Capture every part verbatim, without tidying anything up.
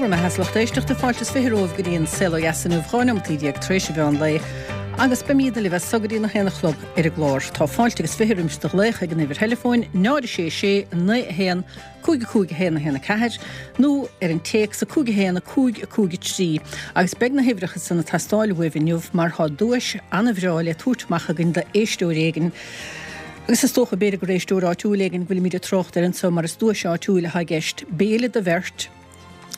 Go raibh maith agat a lucht éisteachta fáilte is fiche romhaibh go dtí an Saol Ó Dheas inniu dhá neomataí déag tar éis an mheán lae agus beimid libh as so go dtí a haon a chlog ar an gclár. Tá fáilte agus fiche roimis do ghlaoch ag an uimhir theileafóin náid a sé sé naoi a haon cúig a cúig a haon a haon a ceathair nó ar an téacs a cúig a haon a cúig a cúig a trí agus beidh na huimhreacha san ag teastáil uaibh inniu mar tá duais an-bhreá le tabhairt amach againn d'éisteoir éigin. Agus is dócha b'fhéidir gur éisteoir áitiúil éigin go bhfuilimid ag trácht air anso mar is duais áitiúil atá i gceist béile do bheirt,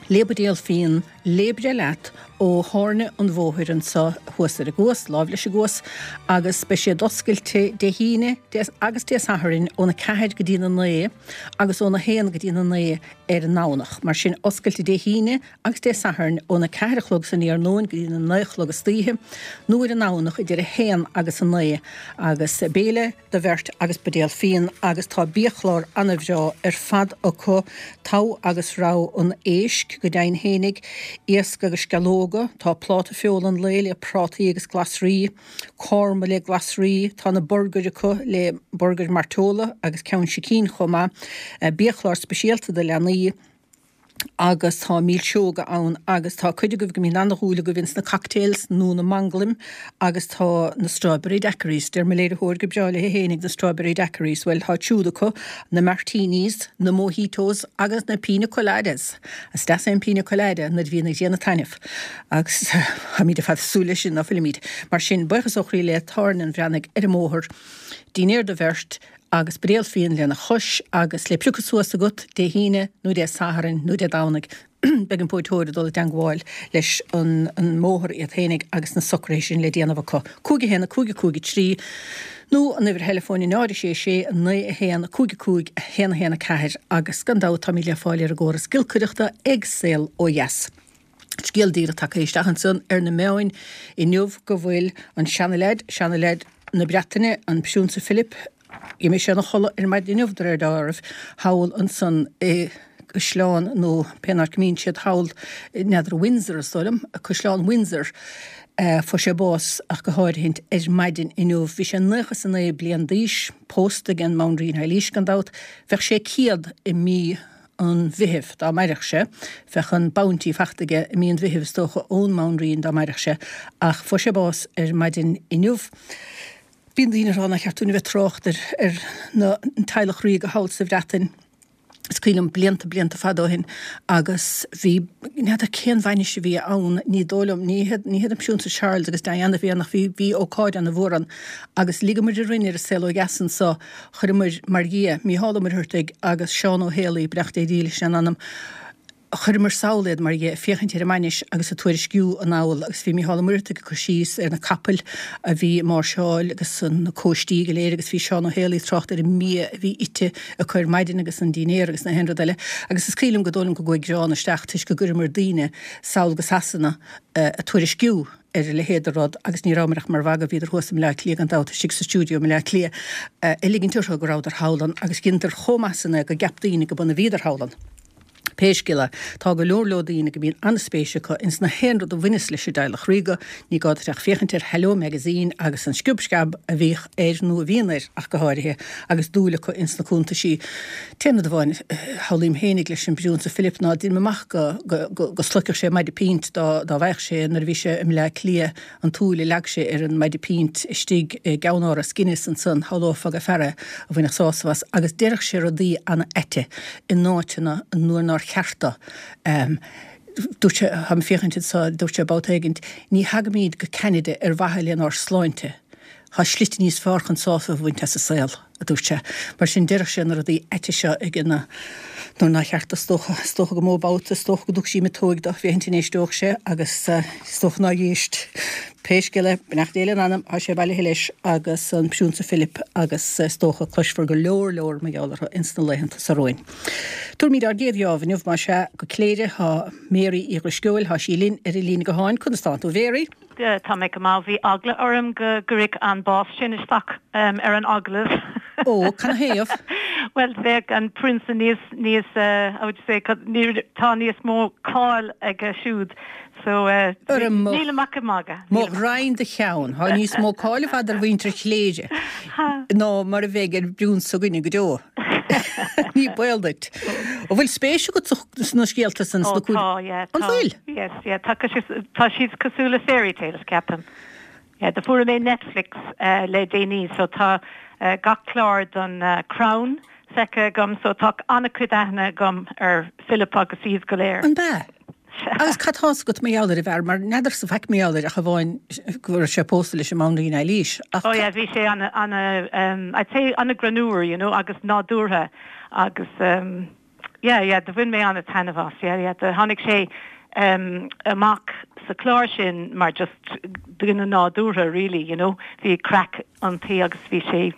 le buidéal fíon, le breith leat ó Thábhairne an Bhóthair anso thuas ar an gCuas, láimh leis an gCuas, agus beidh siad oscailte Dé hAoine agus Dé Sathairn óna ceathair go dtí na naoi agus óna haon go dtí na naoi ar an nDomhnach. Mar sin, oscailte Dé hAoine agus Dé Sathairn óna ceathair a chlog san iarnóin go dtí na naoi a chlog istoíche, nó ar an nDomhnach idir a haon agus a naoi, agus béile do bheirt agus buidéal fíon agus tá biachlár ana-bhreá ar fad acu, togha agus rogha an éisc, go deimhin fhéinig, iasc agus sceallóga, tá pláta feola an lae le prátaí agus glasraí, korma le glasraí, tá na burgair acu le burgair mairteola agus ceann sicín chomh maith, biachlár speisialta do leanaí, agus tá milseoga ann agus tá cuid agaibh go mbíonn ana-dhúil agaibh ins na cocktails nó na manglaim agus tá na strawberry daiquiris, deir mo léiritheoir go breá léi fhéinig na strawberry daiquiris, bhuel tá siúd acu, na martinis, na mojitos agus na pina coladas. Is deas é an pina colada nuair a bhíonn an ghrian ag taitneamh agus táimid ar fad ag súil leis sin, ná fuilimid? Mar sin, buíochas ó chroí le Tábhairne an Bhreathnaigh ar an mbóthar, dinnéar do bheirt, agus buidéal fíon lena chois agus le piocadh suas agat Dé hAoine nó Dé Sathairn nó Dé Domhnaigh. Beidh an póiteoir ag dul i dteangmháil leis an mbóthar iad fhéinig agus na socruithe sin le déanamh acu. Cúig a haon a cúig a cúig a trí nó an uimhir theileafóin a náid a sé sé a naoi a haon a cúig a cúig a haon a haon a ceathair agus gan dabht táimid le fáil ar an gcóras giolcaireachta ag Saol Ó Dheas. Scéal díreach tagtha isteach ansan ar na meáin inniu go bhfuil an seanaleaid, seanaleaid na Breataine, an Priúnsa Philip, d'imigh sé ina chodladh ar maidin inniu de réir dealraimh, thall ansan i gcaisleán nó pé áit go mbíonn siad thall, n'fheadar, Windsor is dóigh liom, Caisleán Windsor. Fuair sé bás ach go háirithint ar maidin inniu. Bhí sé naocha is a naoi bliain d'aois, pósta ag an mBanríon Eilís gan dabht. Bheadh sé céad i mí an Mheithimh dá mairfeadh sé. Bheadh an bounty fachta aige i mí an Mheithimh is dócha ón mBanríon dá mairfeadh sé ach fuair sé bás ar maidin inniu. Bíonn daoine ag rá nár cheart dúinn a bheith ag trácht ar ar na an teaghlach ríoga thall sa Bhreatain. Is cuimhin liom blianta, blianta fada ó shin agus bhí, n'fheadar cén bhainis a bhí ann, ní dóigh liom, ní hiad, ní hiad an Priúnsa Charles agus Diana a bhí ann ach bhí, bhí ócáid ana-mhór ann agus ligeamar orainn ar an Saol Ó Dheas anso, chuireamar, mar dhia, Mícheál Ó Muircheartaigh agus Seán Ó Héalaí, beannacht Dé dhílis lena anam, chuireamar sall iad, mar dhea, ag féachaint ar an mbainis agus ag tuairisciú anall agus bhí Mícheál Ó Muircheartaigh ag cur síos ar na capaill a bhí ag máirseáil agus na cóistí go léir agus bhí Seán Ó Héalaí ag trácht ar an mbia a bhí ite acu ar maidin agus an dinnéar agus na haon rud eile agus is cuimhin liom go dóigh liom go gcuaigh greann isteach toisc go gcuireamar daoine sall go Sasana ag tuairisciú ar a leithéid de rud agus ní rabhamar ach mar mhagadh, bhíodar thuas i mBleá Cliath gan dabht, istigh sa stiúideo i mBleá Cliath, ag ligint orthu go rabhadar thall ann agus dheineadar chomh maith san é go gceap daoine go b'ann a bhíodar thall ann. Pé scéal é, tá go leor leor daoine go mbíonn an-spéis acu ins na haon rud a bhaineas leis an dteaghlach ríoga, ní gá duit ach féachaint ar Hello Magazine agus an sciob sceab a bhíodh air nó a bhíonn air ach go háirithe, agus dúil acu ins na cuntaisí. T-aon rud amháin a shamhlaím fhéinig leis an bPriúnsa Philip ná deinim amach go go go sloigfeadh sé maide pínt dá dá bhfaigheadh sé nuair a bhí sé i mBleá Cliath an tsúil a leag sé ar an maide pínt istigh i gceannáras Guinness ansan, shamhlófá gur fear é a bhainfeadh sásamh as agus déarfadh sé rudaí ana-aite in áiteanna nuair nár cheart dó. Dúirt sé, táim ag féachaint anso, dúirt sé babhta éigint, ní thagaimíd go Ceanada ar mhaithe lenár sláinte, tá slite níos fearr chun sásamh a bhaint as an saol, a dúirt sé. Mar sin, déarfadh sé na rudaí aite seo ag an nuair nár cheart dó, is dócha. Is dócha go mó babhta, is dócha go dtugfaí sí miotóig dó, féachaint an éisteodh sé, agus is dócha nár éist. Pé scéal é, beannacht Dé lena anam, tá sé bailithe leis agus an Priúnsa Philip agus is dócha cloisfear go leor leor mar gheall orthu ins na laethanta seo romhainn. Tabharfaimid ár gcéad gheábh inniu, más ea, go Cléire. Tá Mary Uí Dhrisceoil, tá sí linn ar an líne gutháin. Conas tánn tú, a Mhary? Tá mé go maith. Bhí eagla orm go gcuirfeadh an bás sin isteach ar an agallamh. Ó, canathaobh? Bhuel, bheadh an prionsa níos, níos, how would you say, tá níos mó cáil aige siúd. So, nílim ach ag magadh. Mo ghraidhin do cheann, tá níos mó cáil ar fad ar mhuintir Chléire ná mar a bheidh ar an bpriúnsa s'againne go deo. Ní baol duit. An bhfuil spéis agat sna scéalta san oh, tá, yeah, An bhfuil? Yes, yeah, tá tá siad cosúil le fairy tales ceapaim. Yeah, do fuair mé Netflix uh, le déanaí, so tá uh, gach clár don uh, Crown feicthe agam, so tá an-chuid aithne agam ar Philip agus iad go léir. An bea? Agus cad tá agat mar gheall ar an bhfear mar n'fheadar sa faic mar gheall air ach amháin go raibh sé pósta leis an mBanríon Eilís. Oh yeah, bhí sé an an um, I'd say an-ghreannmhar, you know, agus nádúrtha agus um, yeah, yeah, do bhain mé an-taitneamh as, yeah, yeah, do tháinig sé um, amach sa chlár sin mar just duine nádúrtha really, you know, bhí craic ann agus bhí sé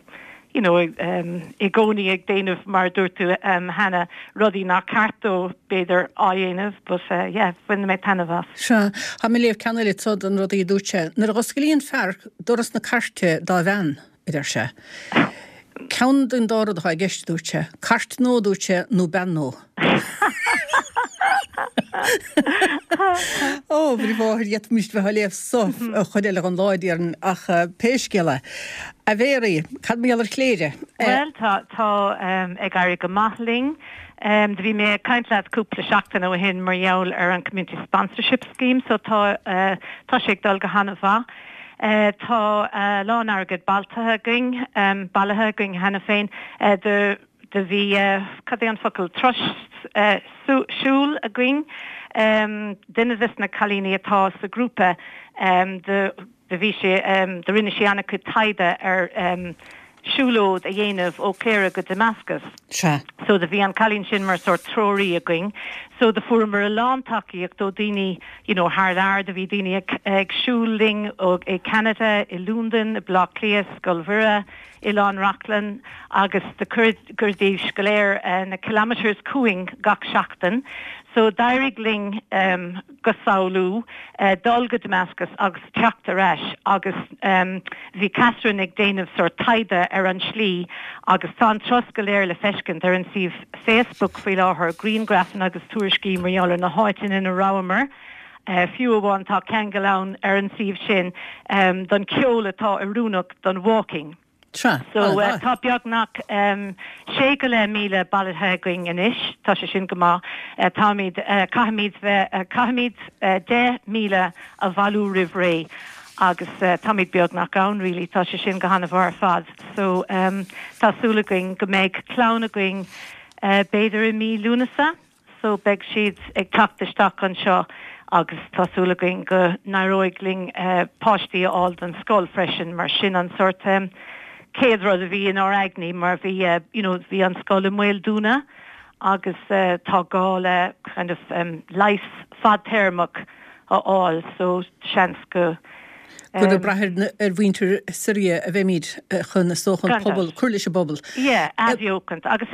you know, um, i gcónaí ag déanamh mar dúirt tú um, cheana rudaí nach ceart dó b'fhéidir a dhéanamh, but uh, yeah, bhain mé taitneamh as. Sea, tá mé ag léamh ceann eile anseo den rudaí a dúirt sé. Nuair a dh'osclaíonn fear doras na cairte dá bhean, a deir sé. Ceann den dá rud atá i gceist, dúirt sé. Cairt nua, dúirt sé, nó bean nua. Ó, bhí mháthair d'fhéadfaimis bheith á léamh so chuid eile den lá déarfainn ach pé scéal é. A Mhéaraí, cad mar gheall ar Chléire? Bhuel, tá tá ag éirí go maith linn. Um, do bhí mé ag caint leat cúpla seachtain ó shin mar gheall ar an Community Sponsorship Scheme, so tá uh, tá sé ag dul go han-mhaith. Uh, tá uh, lán airgead bailithe againn, um, bailithe againn cheana féin uh, do do bhí uh, cad é an focal turas uh, siúil againn um, duine des na cailíní atá sa grúpa um, de de bhí sé um, de rinne sé an-chuid taighde ar um, siúlóid a dhéanamh ó Cléire go Damascus. Sea. So do bhí an cailín sin mar sort treoraí againn. So do fuaireamar a lán tacaíocht ó daoine you know, thar lear do bhí daoine ag, ag siúl linn ó i Canada, i London, i Bleá Cliath, Scoil Mhuire, Oileán Reachlann agus do chuiridís go léir uh, na kilometers chugainn gach seachtain. So d'éirigh linn um, go samhlú uh, dul go Damascus agus teacht ar ais agus um, bhí Catherine ag déanamh sort taighde ar an slí agus tá an turas go léir le feiscint ar an suíomh Facebook faoi láthair grianghrafanna agus tuairiscí mar gheall ar na háiteanna ina rabhamar. Uh, fiú amháin tá ceangal ann ar an suíomh sin um, don ceol atá oiriúnach don walking. Sea. So uh, tá beagnach um, sé go leith míle bailithe againn anois, tá sé sin go maith uh, táimid uh, caithfimid bheith uh, caithfimid uh, deich míle a bhailiú roimh ré agus uh, táimid beagnach ann really, tá sé sin go han-mhaith ar fad. So um, tá súil againn go mbeidh clann againn uh, b'fhéidir i mí Lúnasa, so beidh siad ag teacht isteach anseo agus tá súil againn go n-éireoidh linn uh, páistí a fháil don scoil freisin mar sin an sort um, céad rud a bhí inár n-aigne mar bhí uh, you know, bhí an scoil i mbaol dúnadh agus uh, tá gá le kind of um, leigheas fadtéarmach a fháil so seans go Gur ag brath ar mhuintir Siria a bheimid chun is dócha an pobal cur leis an bpobal. Yeah, athbheochant agus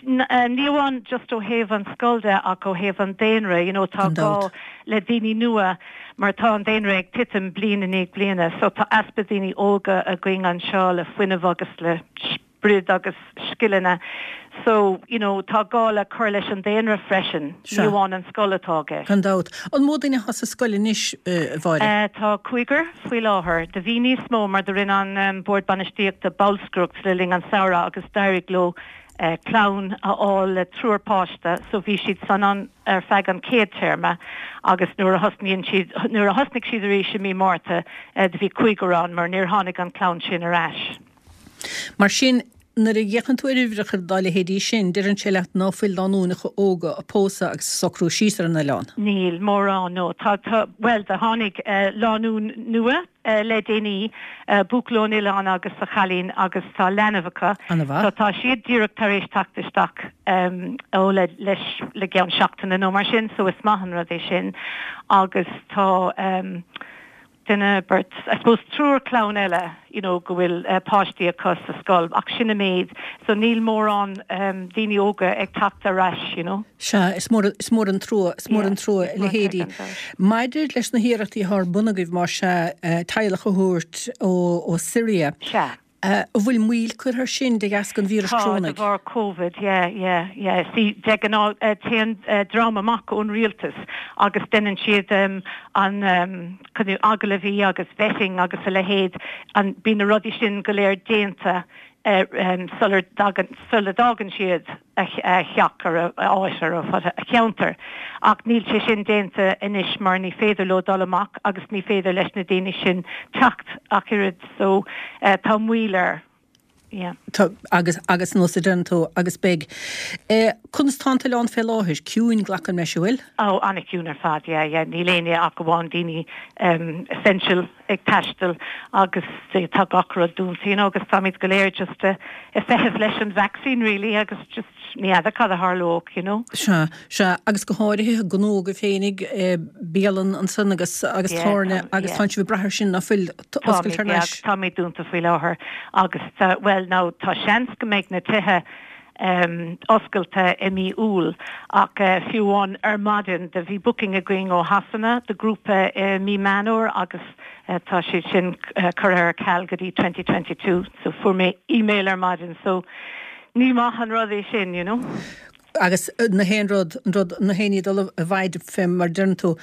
ní amháin just ó thaobh an scoil de ach ó thaobh an daonra, you know, tá gá le daoine nua mar tá an daonra ag titim bliain i ndiaidh bliana, so tá easpa daoine óga againn anseo le fuinneamh agus le sprid agus scileanna. So, you know, tá gá le cur leis an daonra freisin, ní amháin an scoil atá aige. Gan dabht. An mó daoine atá sa scoil anois a Mháire? Uh, tá cúigear faoi láthair. Do bhí níos mó mar do rinne an um, bord bainistíochta bolscaireacht le linn an samhradh agus d'éirigh leo uh, clann a fháil le triúr páiste, so bhí siad san an ar feadh an chéad téarma agus nuair a thosnaíonn siad nuair a thosnaigh siad arís i mí Márta uh, do bhí cúigear ann mar níor tháinig an clann sin ar ais. Mar sin nuair a fhéachann tú ar uimhreacha dá leithéidí sin, deireann sé leat ná fuil lánúineacha óga ag pósadh agus socrú síos ar an oileán. Níl mórán no. Tá tá well do tháinig uh, lánúin nua uh, le déanaí uh, buachaill ón oileán agus a chailín agus tá leanbh acu. An-mhaith. So tá siad díreach tar éis teacht isteach um, ó le leis le ceann seachtaine nó mar sin, so is maith an rud é sin agus tá um, duine beirt I suppose triúr clann eile you know, go bhfuil uh, páistí acu sa scoil ach sin an méid, so níl mórán um, daoine óga ag teacht ar ais, you know. Sea, is mór is mór an trua is mór an trua leithéidí. Maidir leis na hiarrachtaí atá ar bun agaibh mar sea uh, teaghlach a thabhairt ó ó Syria. Sea. Uh, an bhfuil moill curtha air sin de dheasca an víreas Tá de corónaigh. bharr COVID, yeah, yeah, yeah. See, de ghnáth uh, téann uh, dream amach ón rialtas agus déanann siad um, an um, agallaimh agus vetting agus a leithéid an bíonn na rudaí sin go léir déanta sular sula dtagann siad a theach ar a áit ar a cheantar. Ach níl sé sin déanta anois mar ní féidir leo dul amach agus ní féidir leis na daoine sin teacht ach oiread so uh, tá moill air. Yeah. Tá, agus agus nó den tú agus beidh. Eh, Conas tá an t-oileán fé láthair ciúin glacaim leis bhfuil? Ó an-chiúin ar fad yeah, yeah. níl éinne ach amháin daoine um, essential ag taisteal agus tá gach rud dúnta you know, agus táimid go léir just uh, ag feitheamh leis an vaccine really agus just ní fheadar cad a tharlódh you know. Sea sea agus go háirithe gnó go féinig eh, bialann ansan agus agus yeah, tábhairne agus tá sibh ag brath sin ná fuil oscailt thar n-ais. Táimid dúnta faoi láthair agus uh, well now tá seans go mbeidh na tithe um, oscailte i mí Iúil ach uh, fiú amháin ar maidin do bhí booking againn ó Shasana de grúpa uh, mí Meán agus uh, tá sé sin uh, curtha ar ceal go dtí twenty twenty two so fuair mé email ar maidin so ní maith an rud é sin you know. Agus na haon rud rud na haon dul a bhaid fé mar deireann tú.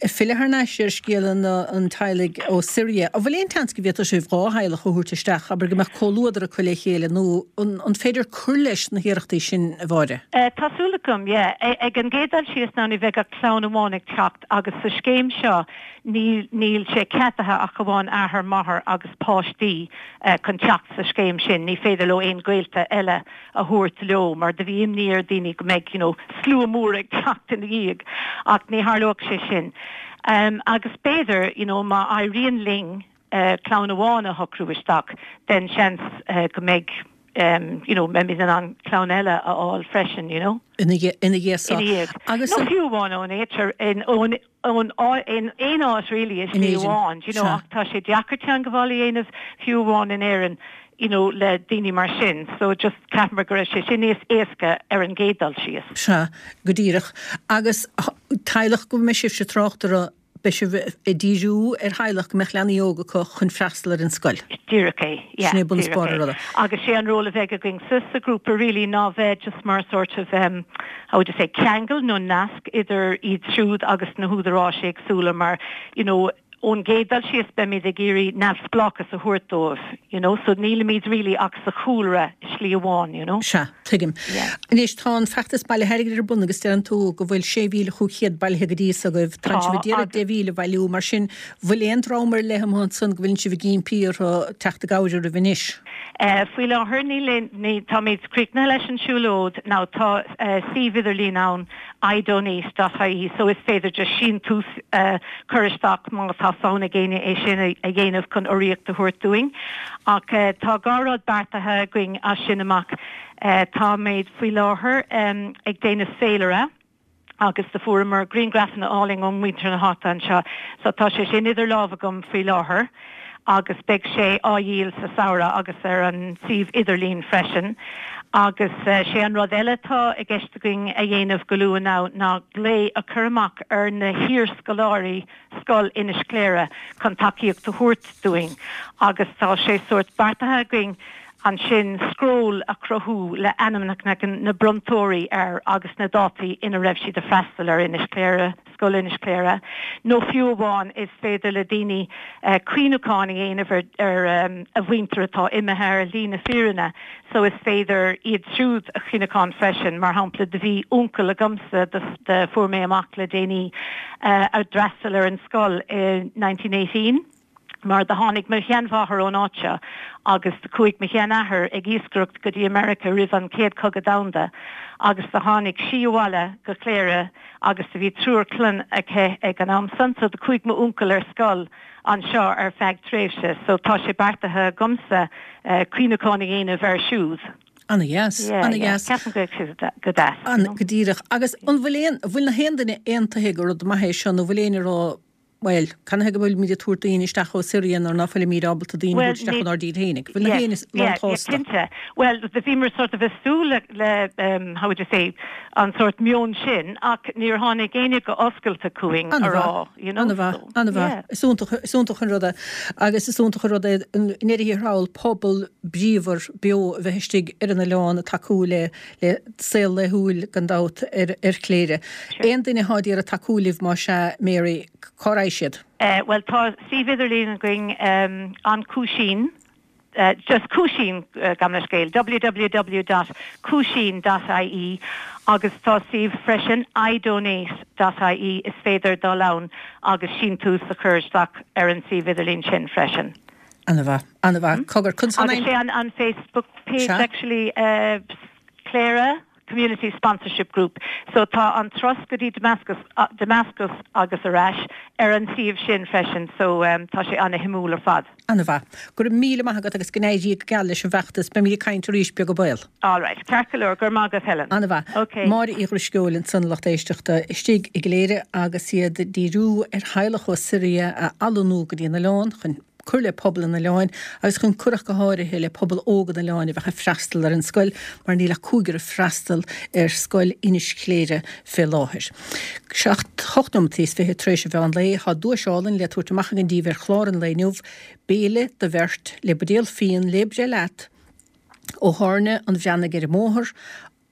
Filleadh thar n-ais ar scéal an an teaghlaigh ó Siria. An bhfuil aon tseans go bhféadfadh sibh dhá theaghlach a thabhairt isteach, abair go mbeadh comhluadar acu le chéile nó an an féidir cur leis na hiarrachtaí sin a Mháire? Uh, tá súil agam, yeah. Ag an gcéad dul síos ná ní bheidh ach clann amháin ag teacht agus sa scéim seo níl níl sé ceadaithe ach amháin athair máthair agus páistí uh, chun teacht sa scéim sin, ní féidir leo aon gaolta eile a thabhairt leo, mar do bhí imní ar daoine go mbeidh you know, slua mór ag teacht ina dhiaidh ach ní tharlódh sé sin. Um, agus b'fhéidir you know, má éiríonn linn uh, clann amháin a shocrú isteach, den seans uh, go mbeidh um, you know, mbeimid in ann clann eile a fháil freisin, you know. Ina ina dhiaidh agus no fiú amháin ón éitir in ón ón in aon áit really is ní amháin, you know, ach tá sé deacair teagmháil a dhéanamh fiú amháin in Éirinn you know, le daoine mar sin, so just ceapaim go raibh sé sin níos éasca ar an gcéad dul síos. Sea, go díreach. Agus teaghlach go mbeidh sibhse trácht orthu beidh sibh ag díriú ar theaghlach go mbeadh leanaí óga acu chun freastal ar an scoil. Díreach é, yeah. Sin é bunús an ruda. Agus sé an ról a bheidh againn sa sa grúpa really ná bheith just mar sort of um, how would you say, ceangal nó nasc idir iad siúd agus na húdaráis éagsúla mar, you know, ón gcéad dul síos beimid ag iarraidh neamhspleáchas a thabhairt dóibh, you know, so nílimid really ach sa chúlra slí amháin, you know. Sea, tuigim. Yeah. Anois tá an feachtas bailithe airgid ar bun agus deireann tú go bhfuil sé mhíle chúig chéad bailithe go dtí so agaibh. Tá sibh ag iarraidh deich mhíle a bhailiú, mar sin bhfuil aon dream ar leith amuigh ansan go bhfuil sibh ag impí orthu teacht i gcabhair oraibh anois? Uh, faoi láthair níl ní táimid críochnaithe leis an siúlóid ná tá uh, suíomh idirlín ann idonate dot I E so is féidir just síntiús uh, cur isteach má tá fonn ag éinne é sin a dhéanamh chun urraíocht a thabhairt dúinn. Ach uh, tá dhá rud beartaithe againn as sin amach. Uh, táimid faoi láthair um, ag déanamh féilire agus do fuaireamar grianghrafanna álainn ó mhuintir na háite anseo, so tá sé sin idir lámha agam faoi láthair agus beidh sé á dhíol sa samhradh agus ar an suíomh idirlín freisin. Agus uh, sé an rud eile tá i gceist againn a dhéanamh go luath ná ná glao a chur amach ar na hiarscoláirí scoil Inis Cléire chun tacaíocht a thabhairt dúinn. Agus tá sé sórt beartaithe againn ansin scról a chruthú le ainmneacha na bronntóirí air agus na dátaí ina raibh siad ag freastal ar Inis Cléire, Scoil Inis Cléire. Nó fiú amháin is féidir le daoine uh, cuimhneachán a dhéanamh ar, ar um, a mhuintir atá imithe ar shlí na fírinne, so is féidir iad siúd a chuimhneachán freisin, mar shampla do bhí uncail agamsa do, do fuair mé amach le déanaí uh, a d'fhreastail ar an scoil i nineteen eighteen. Mar do tháinig mo sheanmháthair ón áit seo agus do chuaigh mo sheanathair ag iascaireacht go dtí America roimh an chéad chogadh domhanda agus do tháinig sí abhaile go Cléire agus do bhí triúr clainne aici ag an am san, so do chuaigh m'uncail ar scoil anseo ar feadh tréimhse, so tá sé beartaithe agamsa uh, cuimhneachán a dhéanamh air siúd. An-dheas, Yeah, an-dheas. yeah. Ceapaim go bhfuil sé go deas, An, you know. go díreach. Agus an bhfuil aon, bhfuil na haon duine aontaithe gur rud maith é seo nó bhfuil aon rá Well, canathaobh go bhfuilimid ag tabhairt daoine isteach ó Siria nuair ná fuilimid ábalta daoine Well, isteach ní- ónár dtír féinig. Bhfuil na Yeah, haon yeah, yeah, lántásta? cinnte. Well, do bhíomar sort of ag súil le, le um, how would you say, an sort meon sin ach níor tháinig éinne go oscailte chugainn a rá, you know. An-mhaith, so, an-mhaith. yeah. Is iontach, is iontach an rud é. Agus is iontach an rud é i ndeireadh thiar thall pobal bríomhar beo a bheith istigh ar an oileán ag tacú le, le saol laethúil gan dabht ar, ar Chléire. Sure. Aon duine atá ag iarraidh tacú libh má sea, Mary, cá raghaidh siad? Uh, well, tá suíomh idirlín againn um, an cúisín uh, just Cúisín uh, gabh mo leithscéal www.cúisín.ie agus tá suíomh freisin idonate.ie is féidir dul ann agus síntiús a chur isteach ar an suíomh idirlín sin freisin. An-mhaith an-mhaith cogar Agus sé an an Facebook page actually uh, Cléire Community Sponsorship Group. So tá an turas go dtí Damascus, uh, Damascus agus ar ais ar an suíomh sin freisin, so um, tá sé an-shuimiúil ar fad. An-mhaith. Go raibh míle maith agat agus go n-éirí go geal leis an bhfeachtas beimid ag caint arís beag go baill. All right, ceart go leor go raibh maith agat Helen. An-mhaith. Okay. Máire Uí Dhrisceoil ansan lucht éisteachta istigh i gCléire agus iad ag díriú ar theaghlach ó Siria a athlonnú go dtí an oileán chun cur le pobal an oileáin agus chun cur go háirithe le pobal óg an oileáin a bheith ag freastal ar an scoil mar níl ach cúigear ag freastal ar scoil Inis Chléire fé láthair. Seacht hocht nóiméad is fiche tar éis an mheán lae tá duais álainn le tabhairt amach againn daoibh ar chlár an lae inniu béile do bheirt le buidéal fíon le breith leat ó Thábhairne an Bhreathnaigh ar an mbóthar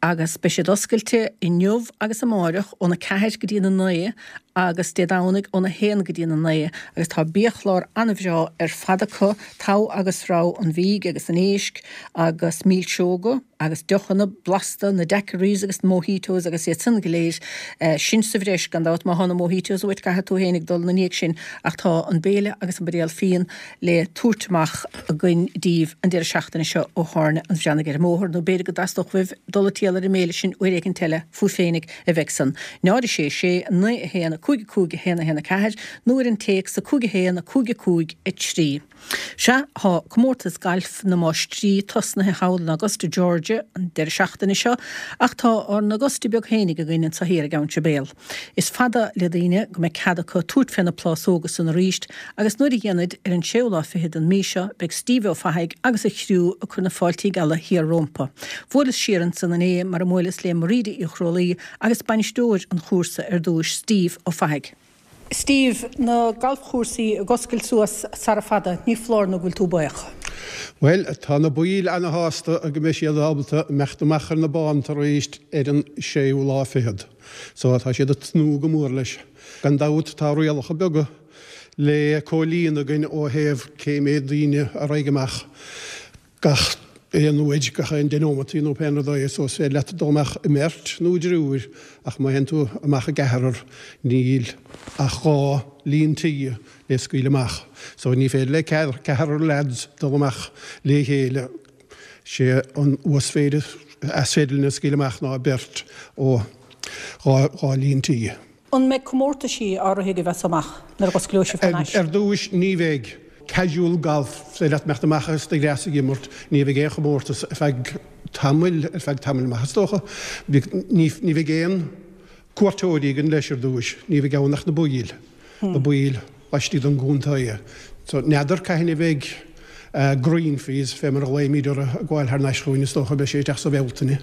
agus beidh siad oscailte inniu agus amárach óna ceathair go dtí na naoi agus Dé Domhnaigh óna haon go dtí na naoi agus tá biachlár an-bhreá ar fad acu togha agus rogha an bhídh agus an éisc agus milseoga agus deochanna blasta na daiquiris agus mojitos agus iad san go léir eh, sin sa bhreis gan dabht má tá na mojitos uait caithfidh tú féinig dul ina ndiaidh sin ach tá an béile agus an buidéal fíon le tabhairt amach againn daoibh an deireadh seachtaine seo ó Thábhairne an Bhreathnaigh ar an mbóthar nó b'fhéidir go dteastódh uaibh dul ag triall ar an mbéile sin uair éigin eile fúibh féinig a bheidh san. Náid sé sé naoi a haon a cúig cúig a haon a haon a ceathair nó ar an téacs a cúig a haon a cúig cúig a trí. Sea tá comórtas gailf na máistrí tosnaithe thall in Augusta Georgia an deireadh seachtaine seo ach tá ár n-Augusta beag féinig againn anseo thiar i gCeann Béal. Is fada le daoine go mbeidh cead acu tabhairt fé na plásóga san arís agus nuair a dhéanfaid ar an séú lá fichead den mhí seo beidh Steve Ó Fathaigh agus a chriú ag cur na fáiltí geala thiar rompu. Bhuaileas siar ansan inné mar a mbuaileas le Maríde Uí Chrólaí agus bainisteoir an chúrsa ar dtús Steve Ó Fathaigh. Steve, na galfchúrsaí ag oscailt suas sara fada, ní foláir nó go bhfuil tú buíoch. Well, tá na baill ana-shásta go mbeidh siad ábalta imeacht amach ar na bánta arís ar an séú lá fichead. So tá siad ag tnúth go mór leis. Gan dabht tá rialacha beaga le comhlíonadh againn ó thaobh cé mhéad daoine a raghaidh amach gach aon uair gach aon deich nóimeataí nó pé rud é so is féidir leat dul amach i mbeirt nó i dtriúr ach má théann tú amach i gceathrar níl ach dhá líon tí le scaoileadh amach. So ní féidir le ceathrar lads dul amach le chéile sé an uasmhéid is féidir lena scaoileadh amach ná beirt ó dhá líon tí. An mbeidh comórtaisí áirithe a bheas amach nuair a osclóidh sibh thar n-ais? Ar dtús ní bheidh casual golf sé leat imeacht amach agus do ghreas ag imirt, ní bheidh aon chomórtas ar feadh tamaill ar feadh tamaill maith is dócha. Ní ní bheidh aon cuairteoirí againn leis ar dtús, ní bheidh ann ach na baill, na baill laistigh den gcontae. So n'fheadar cathain a bheidh green fees fé mar a ghlaoimid orthu ag gabháil thar n-ais chugainn is dócha beidh sé isteach sa Bhealtaine.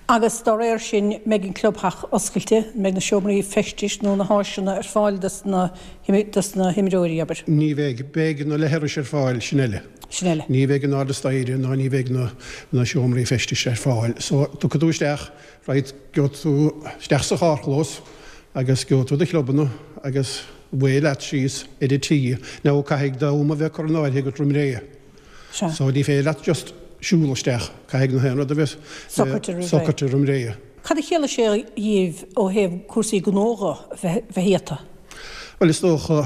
Agus dá réir sin mbeidh an clubtheach oscailte, mbeidh na seomraí feistis nó na háiseanna ar fáil dos na dos na himreoirí, abair? Ní bheidh, beidh na leithris ar fáil, sin eile. Sin eile. Ní bheidh an airde staighre ná ní bheidh na na seomraí feistis ar fáil. So tiocfaidh tú isteach, right, gheobhaidh tú isteach sa charrchlós agus gheobhaidh tú do chlubanna agus away leat síos ar an tee. Now caithfidh d'am a bheith curtha in áirithe agat roimh ré. Sea. So ní féidir leat just siúl isteach, caithfidh na haon rud a bheith Socraithe roimh ré. socraithe roimh ré. Cad a chiallaigh sé dhaoibh ó thaobh cúrsaí gnó dhe bheith bheith iata? Bhuel is dócha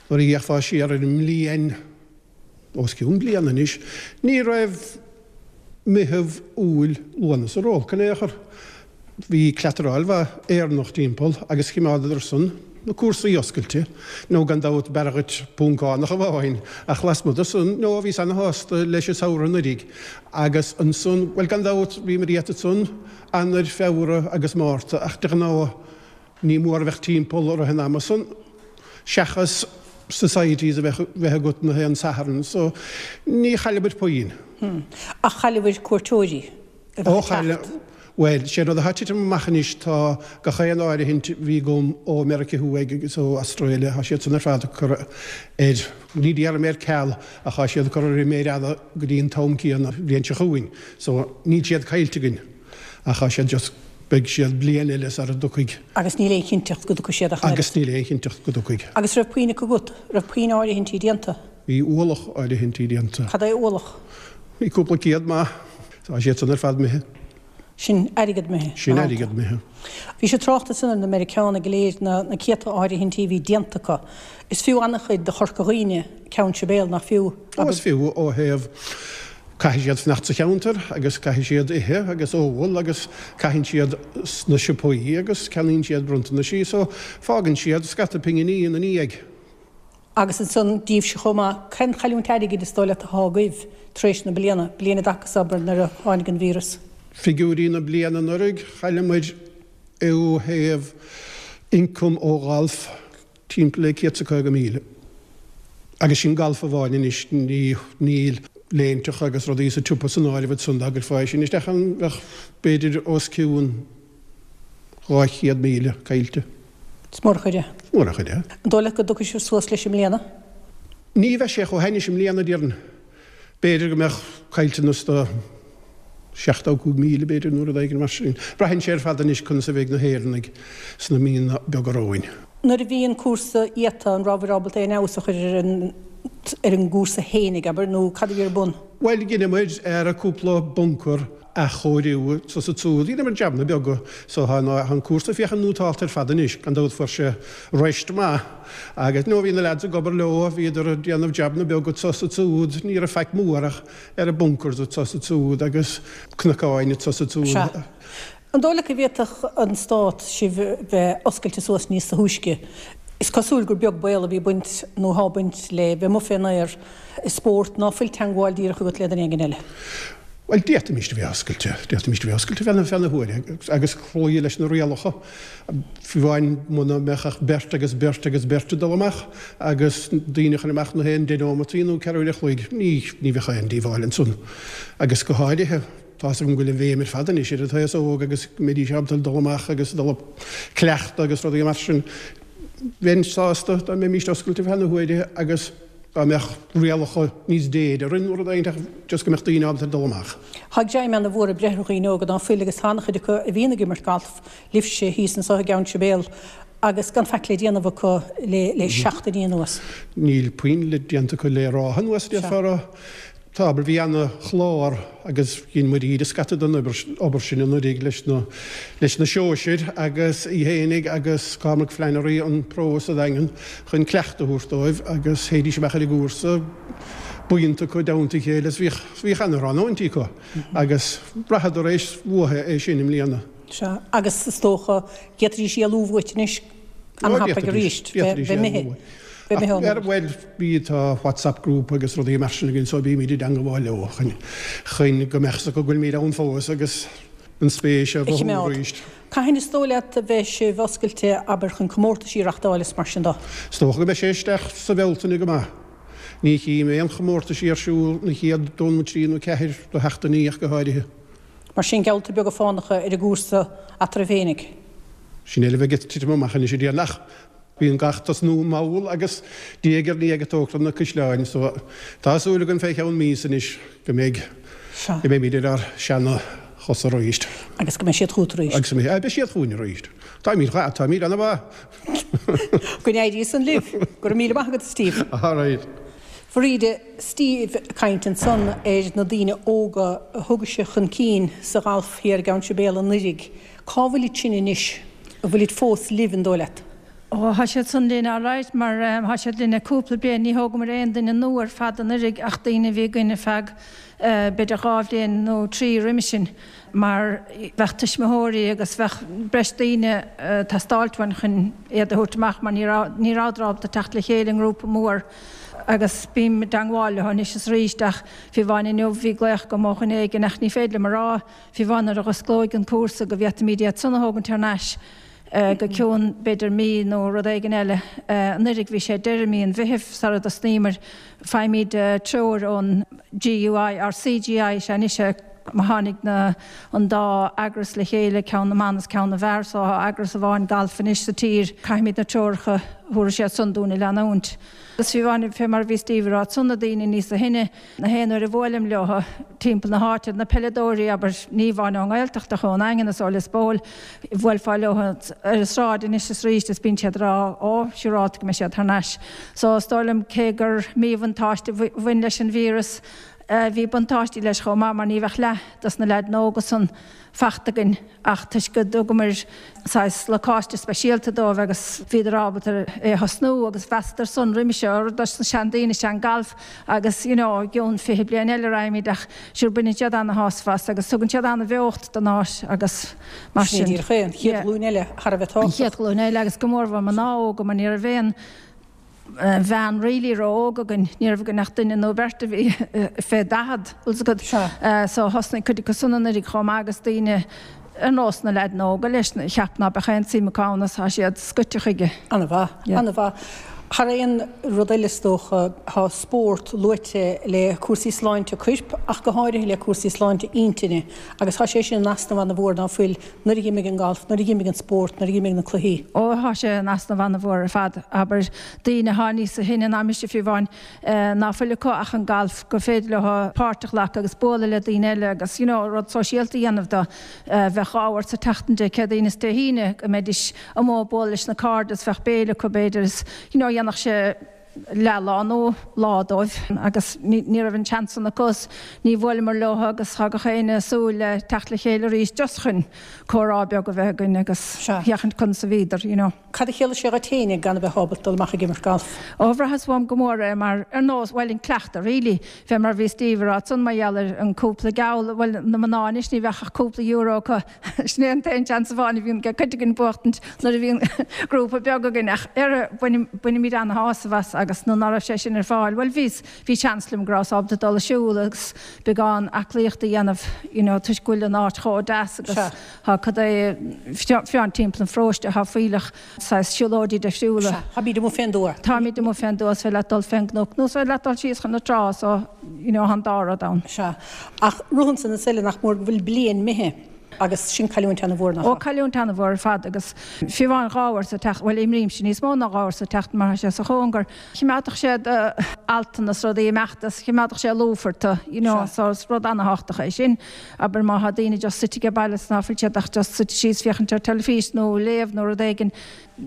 nuair a d'fhéachfá siar ar an mbliain, os cionn bliana anois, ní raibh Meitheamh, Iúil, Lúnasa ró-olc in aon chor. Bhí cleataráil mhaith Éireannach timpeall agus choimeádadar san na cúrsaí oscailte, nó gan dabht b'fhearr dhuit Poncánach amháin, ach lasmuigh de san, no, bhíos ana-shásta leis an samhradh anuraidh. Agus ansan, bhuel gan dabht bhíomar iata ansan, Eanáir, Feabhra agus Márta, ach de ghnáth ní mór a bheadh timpeall i rith an ama san, seachas societies a bheith bheith agat na haon Satharn, so ní chailleamar puinn. Ach chailleabhair cuairteoirí a Ó bheadh ag chaill, teacht. bhuel, sé rud atá ag titim amach anois, tá gach aon áirithint a bhí agam ó Meiriceá Thuaidh agus ó Australia, tá siad san ar fad curtha ar, ní déarfaidh mé ar ceal, ach tá siad curtha ar an méar fhada go dtí an t-am céanna an bhliain seo chugainn. So níl siad caillte againn, ach tá siad just, beidh siad bliain eile sara dtiocfaidh. Agus níl aon chinnteacht go dtiocfaidh siad ach an oiread. Agus níl aon chinnteacht go dtiocfaidh. Agus raibh puinn acu agat? Raibh puinn áirithintí déanta? Bhí ualach áirithintí déanta. Cad é ualach? Bhí cúpla céad maith. Tá siad san ar fad imithe. Sin airgead imithe. Sin airgead imithe. Bhí sé tráchta ansan ar na Meiriceánaigh go léir, na na céadta áirithintí a bhí déanta acu. Is fiú an-chuid do Chorca Dhuibhne Ceann Sibéal, nach fiú? Ó, is fiú ó thaobh caithfidh siad fanacht sa cheantar agus caithfidh siad ithe agus ól agus caitheann siad sna siopaí agus ceannaíonn siad bronntanaisí so fágann siad scata pinginí ina ndiaidh. Agus ansan díbhse chomh maith, cén chailliúint airgid is dóigh leat atá agaibh tar éis na bliana, bliain i dtaca is abair nuair a tháinig an víreas? Figiúirí na bliana anuraidh, chaill muid ó thaobh ioncam ó ghalf timpeall le céad 's a caoga míle. Agus sin galf amháin anois, ní, níl léinteacha agus rudaí sa tsiopa san áireamh ansan, dá gcuirfeá sin isteach ann bheadh b'fhéidir os cionn dhá chéad míle caillte. Is mór an chuid é. Is mór an chuid é. An dóigh leat go dtiocfaidh sibh suas leis i mbliana? Ní bheidh sé chomh hainnis i mbliana, déarfainn. B'fhéidir go mbeadh caillteanas de seachtó cúig míle, b'fhéidir, nó rud éigin mar sin. Braitheann sé ar fad anois conas a bheidh na hÉireannaigh sna míonna beaga romhainn. Nuair a bhí an cúrsa iata, an rabhabhair ábalta aon fheabhas a chur ar an ar an gcúrsa fhéinig, abair, nó cad a bhí ar bun? Bhuel, dheineamair ar cúpla buncar athchóiriú anso 's ansúd. Dheineamar jabanna beaga so tá an cúrsa féachaint nótálta ar fad anois, gan dabht fuair sé rest maith agus nó bhí na lads ag obair leo, bhíodar ag déanamh jabanna beaga anso 's ansúd, ní raibh faic mór ach ar an bunkers anso 's ansúd agus cnocáin anso 's ansúd. Sea. An dóigh leat go bhféadfadh an Stát sibh bheith oscailte suas níos túisce? Is cosúil gur beag baol a bhí ag baint nó atá ag baint le bheith amuigh fén aer i spórt ná fuil teangmháil díreach agat le duine éigin eile. Bhuel, d'fhéadfaimis a bheith oscailte, d'fhéadfaimis a bheith oscailte feadh na, feadh na huaire agus cloí leis na rialacha. Fiú amháin muna mbeadh ach beirt agus beirt agus beirt ag dul amach agus daoine a chur amach na haon deich neomataí nó ceathrú uair a chloig, ní, ní bheadh aon díobháil ansan. Agus go háirithe, tá's agam go bhfuil an bhéim ar fad anois ar an t-aos óg agus go mbeidís ábalta dul amach agus dul ag cleachtadh agus rudaí mar sin. Bheinn sásta dá mbeimis oscailte feadh na huaire agus dá mbeadh rialacha níos déine orainn nó rud éigin ach just go mbeadh daoine ábalta dul amach. Tá dream ana-mhór ag breith ar dhaoine óga ná fuil agus tá an-chuid acu a bhíonn ag imirt galf libhse thíos anso i gCeann Sibéal agus gan faic le déanamh acu le le seachtainí anuas. Níl puinn le déanta acu le ráithe anuas, déarfá a rá. Tá, abair, bhí ana-chlár agus dhein muid íde scata den obair sin anuraidh leis na leis na sóisir agus í fhéinig agus Cormac Flannery an pro sa Daingean chun cleachtadh a thabhairt dóibh agus théidís amach ar an gcúrsa buíonta acu i dteannta a chéile is bhíodh bhíodh ana-thráthnóintí acu agus bhraitheadar é uathu é sin i mbliana. Sea, agus is dócha d'fhéadfaidís éalú uait anois an-thapaidh arís, bheith imithe. Ach, bhuel, bhí, tá WhatsApp group agus rudaí mar sin againn so bímid i dteangabháil leo chun, chun go mbeadh 's acu go bhfuilimid ann fós agus an spéis a A mhothú chimeád. arís. Cathain is dóigh leat a bheidh sibh oscailte, abair, chun comórtaisí a reachtáil is mar sin de? Is dócha go mbeidh sé isteach sa Bhealtaine go maith. Ní chím aon chomórtaisí ar siúl na chéad dó nó trí nó ceathair de sheachtainí ach go háirithe. Mar sin, geallta beaga fánacha ar an gcúrsa eatarthu féinig. Sin é le bheith ag titim amach anois a déarfainn ach bíonn gach tosnú mall agus diaidh ar ndiaidh ag tógtáil na caisleáin so tá súil agam fé cheann míosa anois go mbeidh, go mbeimid ar ár seana chosa arís. Agus go mbeidh siad chugat arís. Agus go mbeidh, beidh siad chugainn arís. Táimid, táimid ana-mhaith. Go n-éirí san libh. Go raibh míle maith agat a Steve. All right. A Bhríde, Steve ag caint ansan ar na daoine óga a thug sé chun cinn sa ghalf thiar i gCeann Sibéal anuiridh. Cá bhfuilid sin anois? An bhfuilid fós libh, an dóigh leat? Ó, thá siad san linn alright mar thá siad linn le cúpla bliain. Ní thógamar aon duine nua ar fad anuiridh ach daoine a bhí againn ar feadh b'fhéidir dhá bhliain nó trí roimis sin mar bheadh tuismitheoirí agus bheadh breis daoine ag teastáilt uainn chun iad a thabhairt amach mar ní raibh, ní rabhadar ábalta teacht le chéile i ngrúpa mór agus bím i dteangmháil leo anois is arís ach fiú amháin inniu bhí glaoch agam ó dhuine éigin ach ní féidir liom a rá fiú amháin nuair a dh'osclóidh an cúrsa go bhféadfaimid iad san a thógaint thar n-ais go cionn b'fhéidir mí nó rud éigin eile. Anuiridh bhí sé deireadh mí an Mheithimh sara dtosnaíomar. Faighimid treoir ón GUI, or CGI is ea anois é, Má tháinig na, an dá eagras le chéile, ceann na mban is ceann na bhfear, so tá eagras amháin galf anois sa tír, caithfimid na treoracha a thabharfaidh siad san dúinn a leanúint. Agus fiú amháin, fé mar a bhí Steve ag rá ansan, na daoine níosa shine, na haon uair a bhuailim leo timpeall na háite, na peileadóirí, abair, ní amháin ón nGaeltacht ach ón nDaingean is ó Lios Póil, bhuailfeá leo ar an sráid anois is arís is bíonn siad ag rá, ó, siúrálta go mbeidh siad thar n-ais. So is dóigh liom, cé gur míbhuntáiste a bhain leis an víreas, Bhí buntáistí leis chomh maith mar ní bheadh leath dos na leaideanna óga san fachta againn ach toisc go dtugamair saghas lacáiste speisialta dóibh agus bhíodar ábalta é a thosnú agus mheasadar san roimis seo gur dos na seandaoine is ea an galf agus you know i gcionn fiche bliain eile raghaimid ach sure baineann siad ana-shásamh as agus tugann siad ana-bheocht don áit agus mar Sin sin. é díreach é, an chéad Yeah. ghlúin eile thar a bheith An tábhachtach. chéad ghlúin eile agus go mórmhór mná óga mar ní raibh aon bhean really ró-óg againn, ní raibh againn ach duine nó beirt a bhí fé daichead, bhfuil 's agat. So thosnaigh cuid acu san anuraidh chomh maith agus daoine ar nós na leaideanna óga leis, cheap ná beadh aon tsuim acu ann is tá siad scoite chuige. Ana-mhaith, ana-mhaith. Thar aon rud eile is dócha, tá spórt luaite le cúrsaí sláinte coirp ach go háirithe le cúrsaí sláinte intinne agus tá sé sin in easnamh ana-mhór ná fuil nuair a dh'imigh an galf, nuair a dh'imigh an spórt, nuair a dh'imigh na cluichí. Ó tá sé in easnamh ana-mhór ar fad, abair, daoine athá níosa shine ná mise fiú amháin, ná fuil acu ach an galf, gur féidir leo páirt a ghlacadh agus bualadh le daoine eile agus you know rud sóisialta a dhéanamh de. Bheadh dhá uair sa tseachtain, Dé Céadaoin is Dé hAoine, go mbeidís amuigh ag bualadh leis na cairde is bheadh béile acu b'fhéidir is you know dhéanfadh sé leathlá nó lá dóibh agus ní raibh an seans san acu is ní bhuaileamar leo agus tá gach éinne ag súil le teacht le chéile arís just chun comhrá beag a bheith againn agus féachaint conas a bhíodar, you know. Cad a chiallaigh sé dhuit féinig gan a bheith ábalta dul amach ag imirt galf? Ó bhraitheas uaim go mór é mar ar nós, bhuel an cleachtadh really, fé mar a bhí Steve ag rá ansan mar gheall ar an cúpla geall, bhuel na mná anois ní bheadh ach cúpla euro acu, sin é an t-aon seans amháin a bhíonn ag cuid againn buachtaint nuair a bhíonn grúpa beag againn ach ar bainimid ana-shásamh as agus nuair ná raibh sé sin ar fáil, bhuel bhíos, bhí seans liom go rabhas ábalta dul ag siúl agus beagán aclaíochta a dhéanamh you know toisc go bhfuil an áit chomh deas agus Sea. tá cad é fiú timpeall an pharóiste tá fuílleach saghas siúlóidí difriúla. Sea, táimid amuigh fén dtuath. Táimid amuigh fén dtuath, is féidir leat dul fén gcnoc nó is féidir leat dul síos chun na trá so you know tá an dá rud ann. Sea, ach rud ansan is eile nach mór go bhfuil bliain imithe. Agus sin cailliúint ana-mhór, nach Ó, ea? cailliúint ana-mhór ar fad agus fiú amháin dhá uair sa tseachtain, bhuel imrímse níos mó ná dhá uair sa tseachtain mar tá sé sa chóngar, chimeádfadh sé d'altanna is rudaí ag imeacht is chimeádfadh sé lúfar tú, you know, Sea. so is rud ana-thábhachtach é sin. Abair má thá daoine just suite age baile is ná fuil siad ach just suite síos féachaint ar teilifís nó léamh nó rud éigin,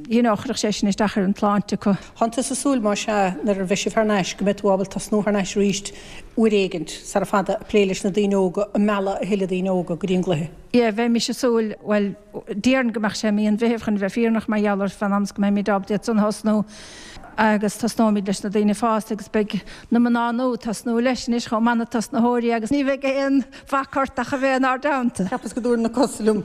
you know, chuirfeadh sé sin isteach ar an tsláinte acu. Tánn tusa ag súil, más ea, nuair a bheidh sibh thar n-ais, go mbeidh tú ábalta tosnú thar n-ais arís uair éigint, sara fada, ag plé leis na daoine óga, ag mealladh a thuilleadh daoine óga go dtí an gcluiche? Yeah, bheimis ag súil, bhuel, déarfainn go mbeadh sé i mí an Mheithimh chun bheith fírinneach mar gheall ar fán am is go mbeimid ábalta iad san a thosnú agus tosnóimid leis na daoine fásta agus beidh na mná nua ag tosnú leis anois chomh maith na tosnaitheoirí agus ní bheidh aon bhac ort ach a bheith inár dteannta. Cheapas go dtabharfainn na cosa liom,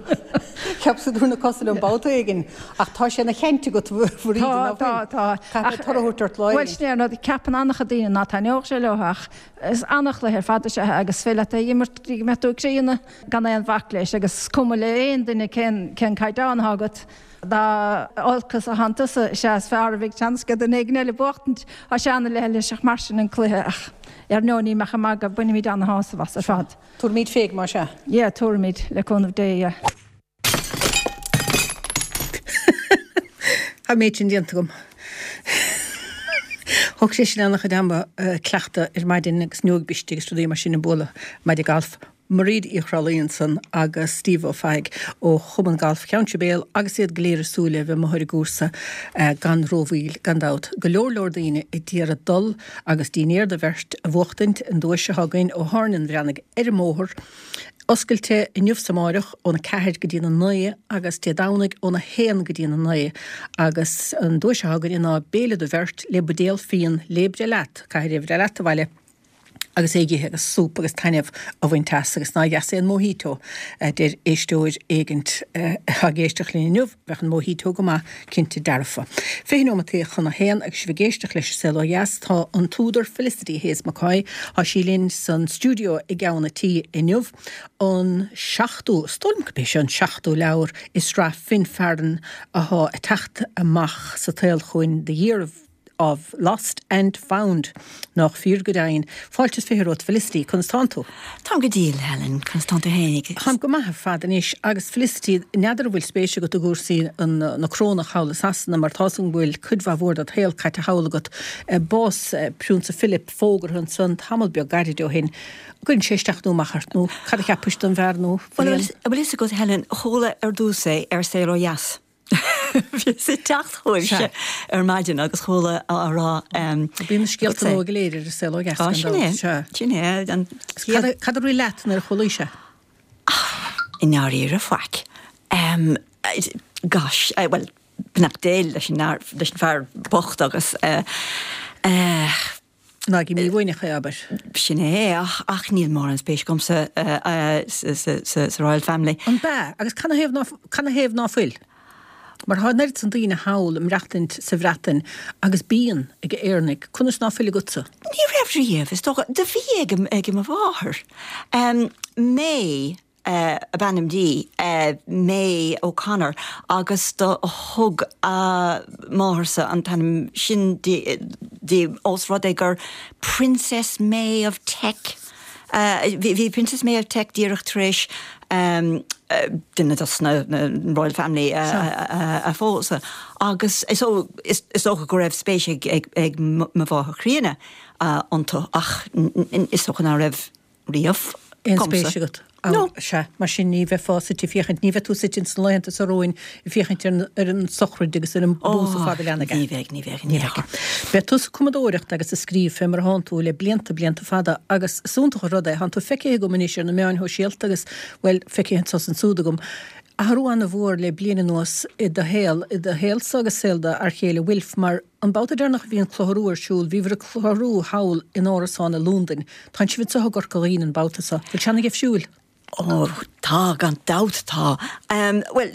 cheapas go dtabharfainn na cosa liom babhta éigin ach tá sé ina chaint agat a Bhríde, Tá, ná fuil? tá, tá. Caithfidh mé toradh a thabhairt ort lá Bhuel éigin. sin é an rud, ceapann an-chuid daoine ná taitneodh sé leo ach is an-chluiche ar fad is ea é agus is féidir leat é a imirt go dtí go mbeidh tú críonna gan aon bhac leis agus is cuma le aon duine cén, cén caighdeán atá agat. Dá olcas a thánn tusa, is ea is fearr a bheidh seans ag duine éigin eile buachtaint. Tá sé ana-leithliseach mar sin an cluiche ach ar ndóigh ní mbeadh ag magadh, bainimid ana-shásamh as ar fad. Tabharfaimid féig más ea. Yeah, tabharfaimid, le cúnamh Dé, yeah. Tá an méid sin déanta agam. Thóg sé sin an-chuid ama cleachtadh ar maidin agus neoig briste agus rudaí mar sin ag bualadh maide gailf. Mairéad Uí Chroithlí ansan agus Steve Ó Fathaigh ó Chumann Gailf Cheann Sibéal agus iad go léir ag súil le bheith amuigh ar an gcúrsa gan rómhoill gan dabht. Go leor leor daoine ag iarraidh dul agus dinnéar do bheirt a bhuachtaint, an duais atá againn ó Thabhairne an Bhreathnaigh ar an mbóthar. Oscailte inniu 's amáireach óna ceathair go dtí'n a naoi agus Dé Domhnaigh óna haon go dtí'n a naoi agus an duais atá againn ná béile do bheirt le buidéal fíon le breith leat, caithfidh é a bhreith leat abhaile agus é a dh'ithe agus súp agus taitneamh a bhaint as agus nár dheas é an mojito a deir éisteoir éigint atá ag éisteacht linn inniu, bheadh an mojito go maith cinnte dearfa. Fiche nóimeataí chun a haon agus sibh ag éisteacht leis an Saol Ó Dheas tá an t-údar Felicity Hayes McCoy, tá sí linn san stiúideo i gceann a' tí inniu. An seachtú, is dóigh liom gurb é seo an seachtú leabhar i sraith Finn Farren athá ag teacht amach sa tsaol chugainn, The Year of of Lost and Found. Nach fíor go deimhin. Fáilte is fiche romhat Felicity, conas tánn tú? Táim go diail Helen, conas tánn tú fhéinig. Táim go maith ar fad anois agus Felicity n'fheadar an bhfuil spéis agat i gcúrsaí na corónach thall i Sasana mar tá a fhios agam go bhfuil cuid mhaith mhór dod shaol caite thall agat. Bás Priúnsa Philip fógartha ansan tamall beag gairid ó shin. Cuireann sé isteach nó amach ort nó cad a cheapais den bhfear nó Bhuel an bhfuil fhios agat Helen, chuala ar dtús é ar Saol Ó Dheas. Bhíos ag teacht chugaibhse ar maidin agus chuala á rá. Bíonn na scéalta nua go léir ar an Saol Ó Dheas gan dabht. Sin é, sin é. An chéad. Cad a rith leat nuair a chualaís é? I ndáiríre, faic. Gosh, bhuel, beannacht Dé leis an fear bocht agus eh. Ná bí mífhoighneach é, abair. Sin é, ach níl mórán spéis agamsa sa Royal Family. An b'ea? Agus canathaobh ná fuil? Mar tá an oiread san daoine thall ag maireachtaint sa Bhreatain agus bíonn ag Éireannaigh. Conas ná fuil agatsa? Ní raibh riamh, is dócha. Do bhí ag mo mháthair. May ab ainm di, May O'Connor, agus do thug a máthairsa an t-ainm sin di ós rud é gur Princess May of Teck, bhí Princess May of Teck díreach tar éis duine dos na Royal Family a phósadh agus so is dócha go raibh spéis ag mo mháthair chríonna iontu ach is dócha ná raibh riamh Aon spéis agat? No. Sea, mar sin ní bheifeá suite ag féachaint, ní bheidh tú suite ins na laethanta seo romhainn ag féachaint ar an sochraid agus ar an bpósadh fada leathan aige. Ní bheidh, ní bheidh, ní bheidh. Beidh tusa ag cumadóireacht agus ag scríobh fé mar a thánn tú le blianta, blianta fada agus is iontach an rud é, thánn tú feicthe agam anois ar na meáin shóisialta agus, bhuel, feicthe anso is ansúd agam. Athrú an-mhór le bliain anuas i do shaol, i do shaolsa agus saol do fhear chéile Wilf, mar an babhta deireanach a bhí an Clochar Rua ar siúl, bhíobhair ag clárú thall in árasán i Londain. Tánn sibh anseo i gCorca Dhuibhne an babhta seo. Bhfuil sé ana-dheifriúil? Ó, tá, gan dabht tá. Bhuel,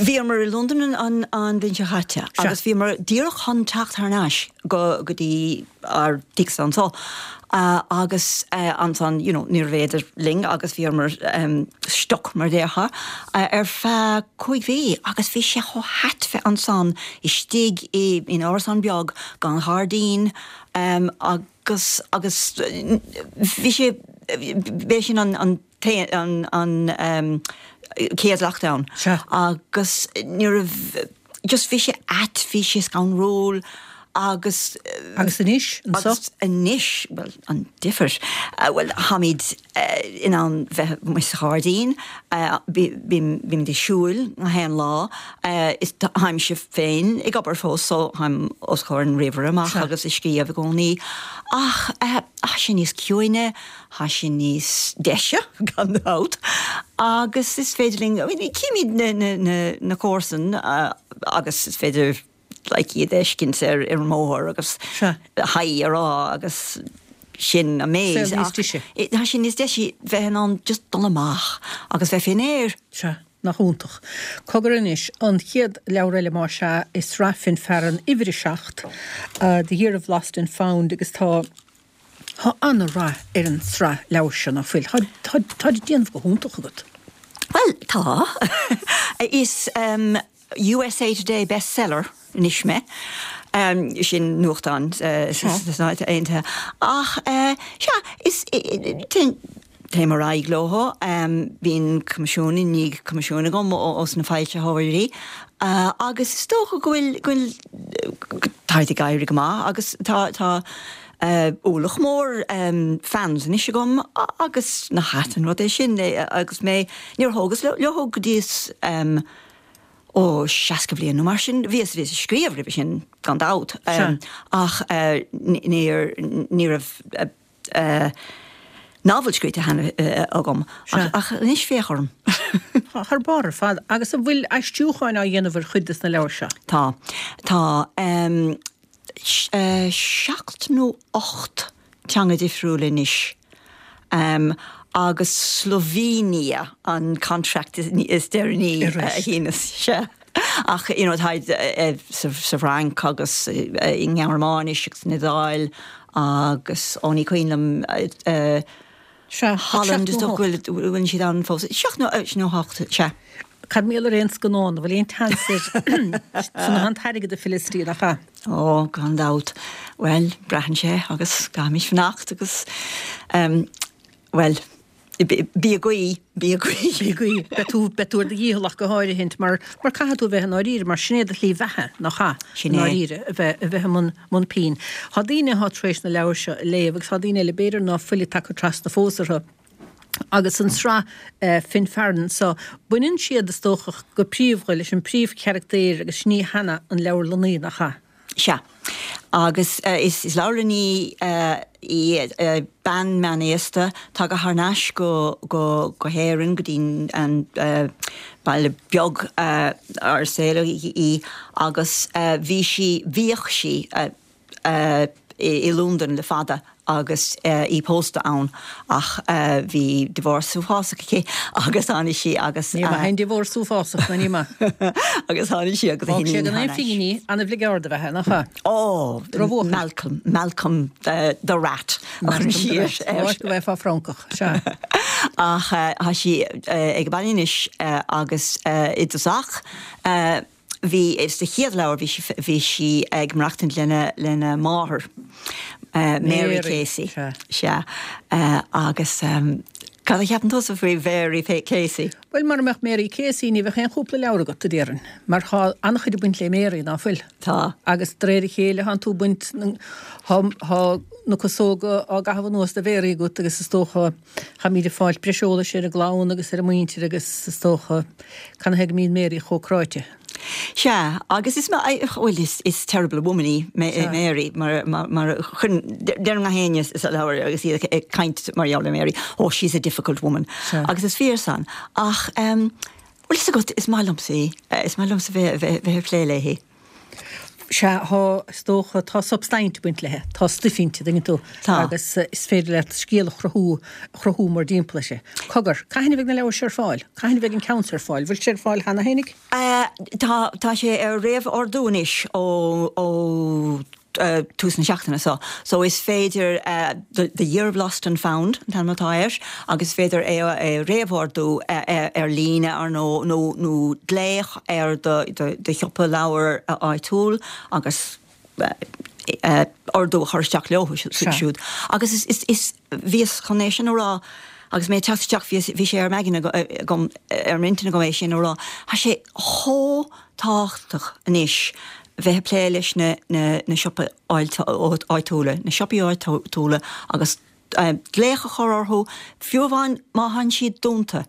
bhíomar i Londain an bhliain seo chaite agus bhíomar díreach chun teacht thar n-ais go dtí ár dtighse anseo agus ansan you know níorbh fhéidir linn agus bhíomar stuck mar déarfá ar feadh cúig mhí agus bhí sé chomh hait bheith ansan istigh in árasán beag gan ghairdín agus agus bhí sé b'é sin an an an chéad lockdown agus ní raibh just bhí sé ait bhí sé scanrúil agus Agus anois anseo? Agus anois, bhuel, an difear. Bhuel, táimid in ann bheith amuigh sa ghairdín, bímid ag siúl gach aon lá, is táimse féin ag obair fós so táim os comhair an ríomhaire amach agus ag scríobh i gcónaí. Ach tá sé níos ciúine, tá sé níos deise, gan dabht, agus is féidir linn, I mean, címid na comharsain agus is féidir like iad a fheiscint ar an mbóthar agus haigh a rá agus sin an méid. Saol níos deise. Tá sé níos deise bheith in ann just dul amach agus bheith fén aer. Sea. Nach iontach. Cogar anois, an chéad leabhar eile más ea i sraith fén bhfearann uimhir a seacht, The Year of Lost and Found agus tá tá an-rath ar an tsraith leabhar seo, nach bhfuil? Tá tá tá ag déanamh go hiontach agat. Bhuel, tá. Is USA Today bestseller anois mé. Sin nuachtán sna Stáit Aontaithe. Ach sea, is téim ar aghaidh leo. Bíonn coimisiún i ndiaidh coimisiúin agam ós na foilsitheoirí agus is dócha go bhfuil, go bhfuil, táid ag éirí go maith agus tá, tá ualach mór fans anois agam agus nach ait an rud é sin agus mé, níor thógas leo go dtíos ó seasca bliain nó mar sin. Bhíos, bhíos ag scríobh roimhe sin gan dabht ach níor, ní raibh novel scríte cheana agam ach anois féach orm. Tá thar barr ar fad. Agus an bhfuil aistriúcháin á dhéanamh ar chuid des na leabhair seo? Tá. Tá seacht nó ocht teanga difriúla anois agus Slovenia an contract is deireanaí a shíneas. Sea. Ach you know táid sa Fhrainc agus i nGearmáinis agus san Iodáil agus ó ní cuimhin liom Sea, Holland is dócha go bhfuil siad ann fós. Seacht nó hocht, sea. Cad mar gheall ar aon scannán, bhfuil aon tseans air san an t-airgead a Felicity nach ea? Ó, gan dabht. Bhuel, braitheann sé agus caithfimid fanacht agus um, well, bí ag guí, bí ag guí. Bí ag guí. Beidh tú beidh tú ar do dhícheall ach go háirithint mar mar caithfidh tú a bheith i ndáiríre mar sin é do shlí bheatha nach ea? Sin I é. ndáiríre a bheith a bheith i mbun mbun pinn. Tá daoine atá tar éis na leabhair seo a léamh agus tá daoine eile b'fhéidir ná fuil tagtha trasna fós orthu. Agus an sraith uh, Finfearn so baineann siad is dócha go príomha leis an príomhcharachtar agus sin í Hannah an leabharlannaí nach ea. Sea. Agus uh, is, is leabharlannaí uh, í uh, bean meánaosta tagtha thar n-ais go, go, go hÉirinn go dtí an uh, baile beag uh, ar saoladh í, í agus uh, bhí sí bhíodh sí uh, uh, i, i Londain le fada agus uh, í pósta ann ach uh, bhí divorce uafásach aici agus tháinig sí agus Ní maith an divorce uafásach ná ní maith. agus tháinig sí agus Fág sé gan aon phingin an-bhligeaird a bheith nach ea. Oh, Drochbhuachaill. Malcolm, Malcolm the, the rat. Áit go bheith fá Francach sea. Ach uh, tá sí uh, ag baile anois uh, agus uh, i dtosach uh, bhí is de chéad leabhar bhí sí bhí sí ag maireachtaint lena lena máthair. Uh, Mary Mary, Casey. sea. Sea. Uh, agus um, cad a cheapann tusa faoi Mary Casey? Well mar mbeadh Mary Casey ní bheadh aon chúpla leabhar agat a déarfainn, mar tá an-chuid ag baint le Mary ná fuil. Tá. Agus de réir a chéile tánn tú baint tá na cosóga á gcaitheamh anuas de Mhary agat agus is dócha táimid ag fáil breis eolais ar an gclann agus ar an muintir agus is dócha canathaobh go mbíonn Mary chomh cráite. Sea, agus is well is, is terrible woman í Sea. Mary mar mar mar chun deir gach éinne sa leabhar agus iad ag caint mar gheall ar Mary oh she's a difficult woman Sea. agus is fíor san ach um, well is agat is maith liomsa í eh, is maith liomsa bheith bheith bheith ag plé léi. Sea tá is dócha tá substaint ag baint léi, tá stuif inti tuigeann tú Tá. agus eh, is féidir leat scéal a chruthú chruthú mar timpeall uirthi. Cogar, cathain a bheidh na leabhair seo ar fáil, cathain a bheidh an ceann seo ar fáil, bhfuil sé ar fáil cheana féinig? Uh, tá tá sé ar réamhordú anois ó ó uh, tús na seachtaine so. So is féidir uh, the, the Year of Lost and Found an t-ainm atá air agus féidir é é réamhordú uh, uh, ar líne ar nó nó nó glaoch ar do do, do shiopa leabhar áitiúil agus uh, uh, ordú a chur isteach leo Sea. siúd. Agus is, is, is bhíos chun é sin a rá agus mé teach bhí sé ar m'aigne agam ar m'intinn agam é sin a rá. Tá sé chomh tábhachtach anois bheith ag plé leis na, na, na siopa áitiúla, na siopaí áitiúla agus uh, glaoch a chur orthu fiú amháin má tánn siad dúnta.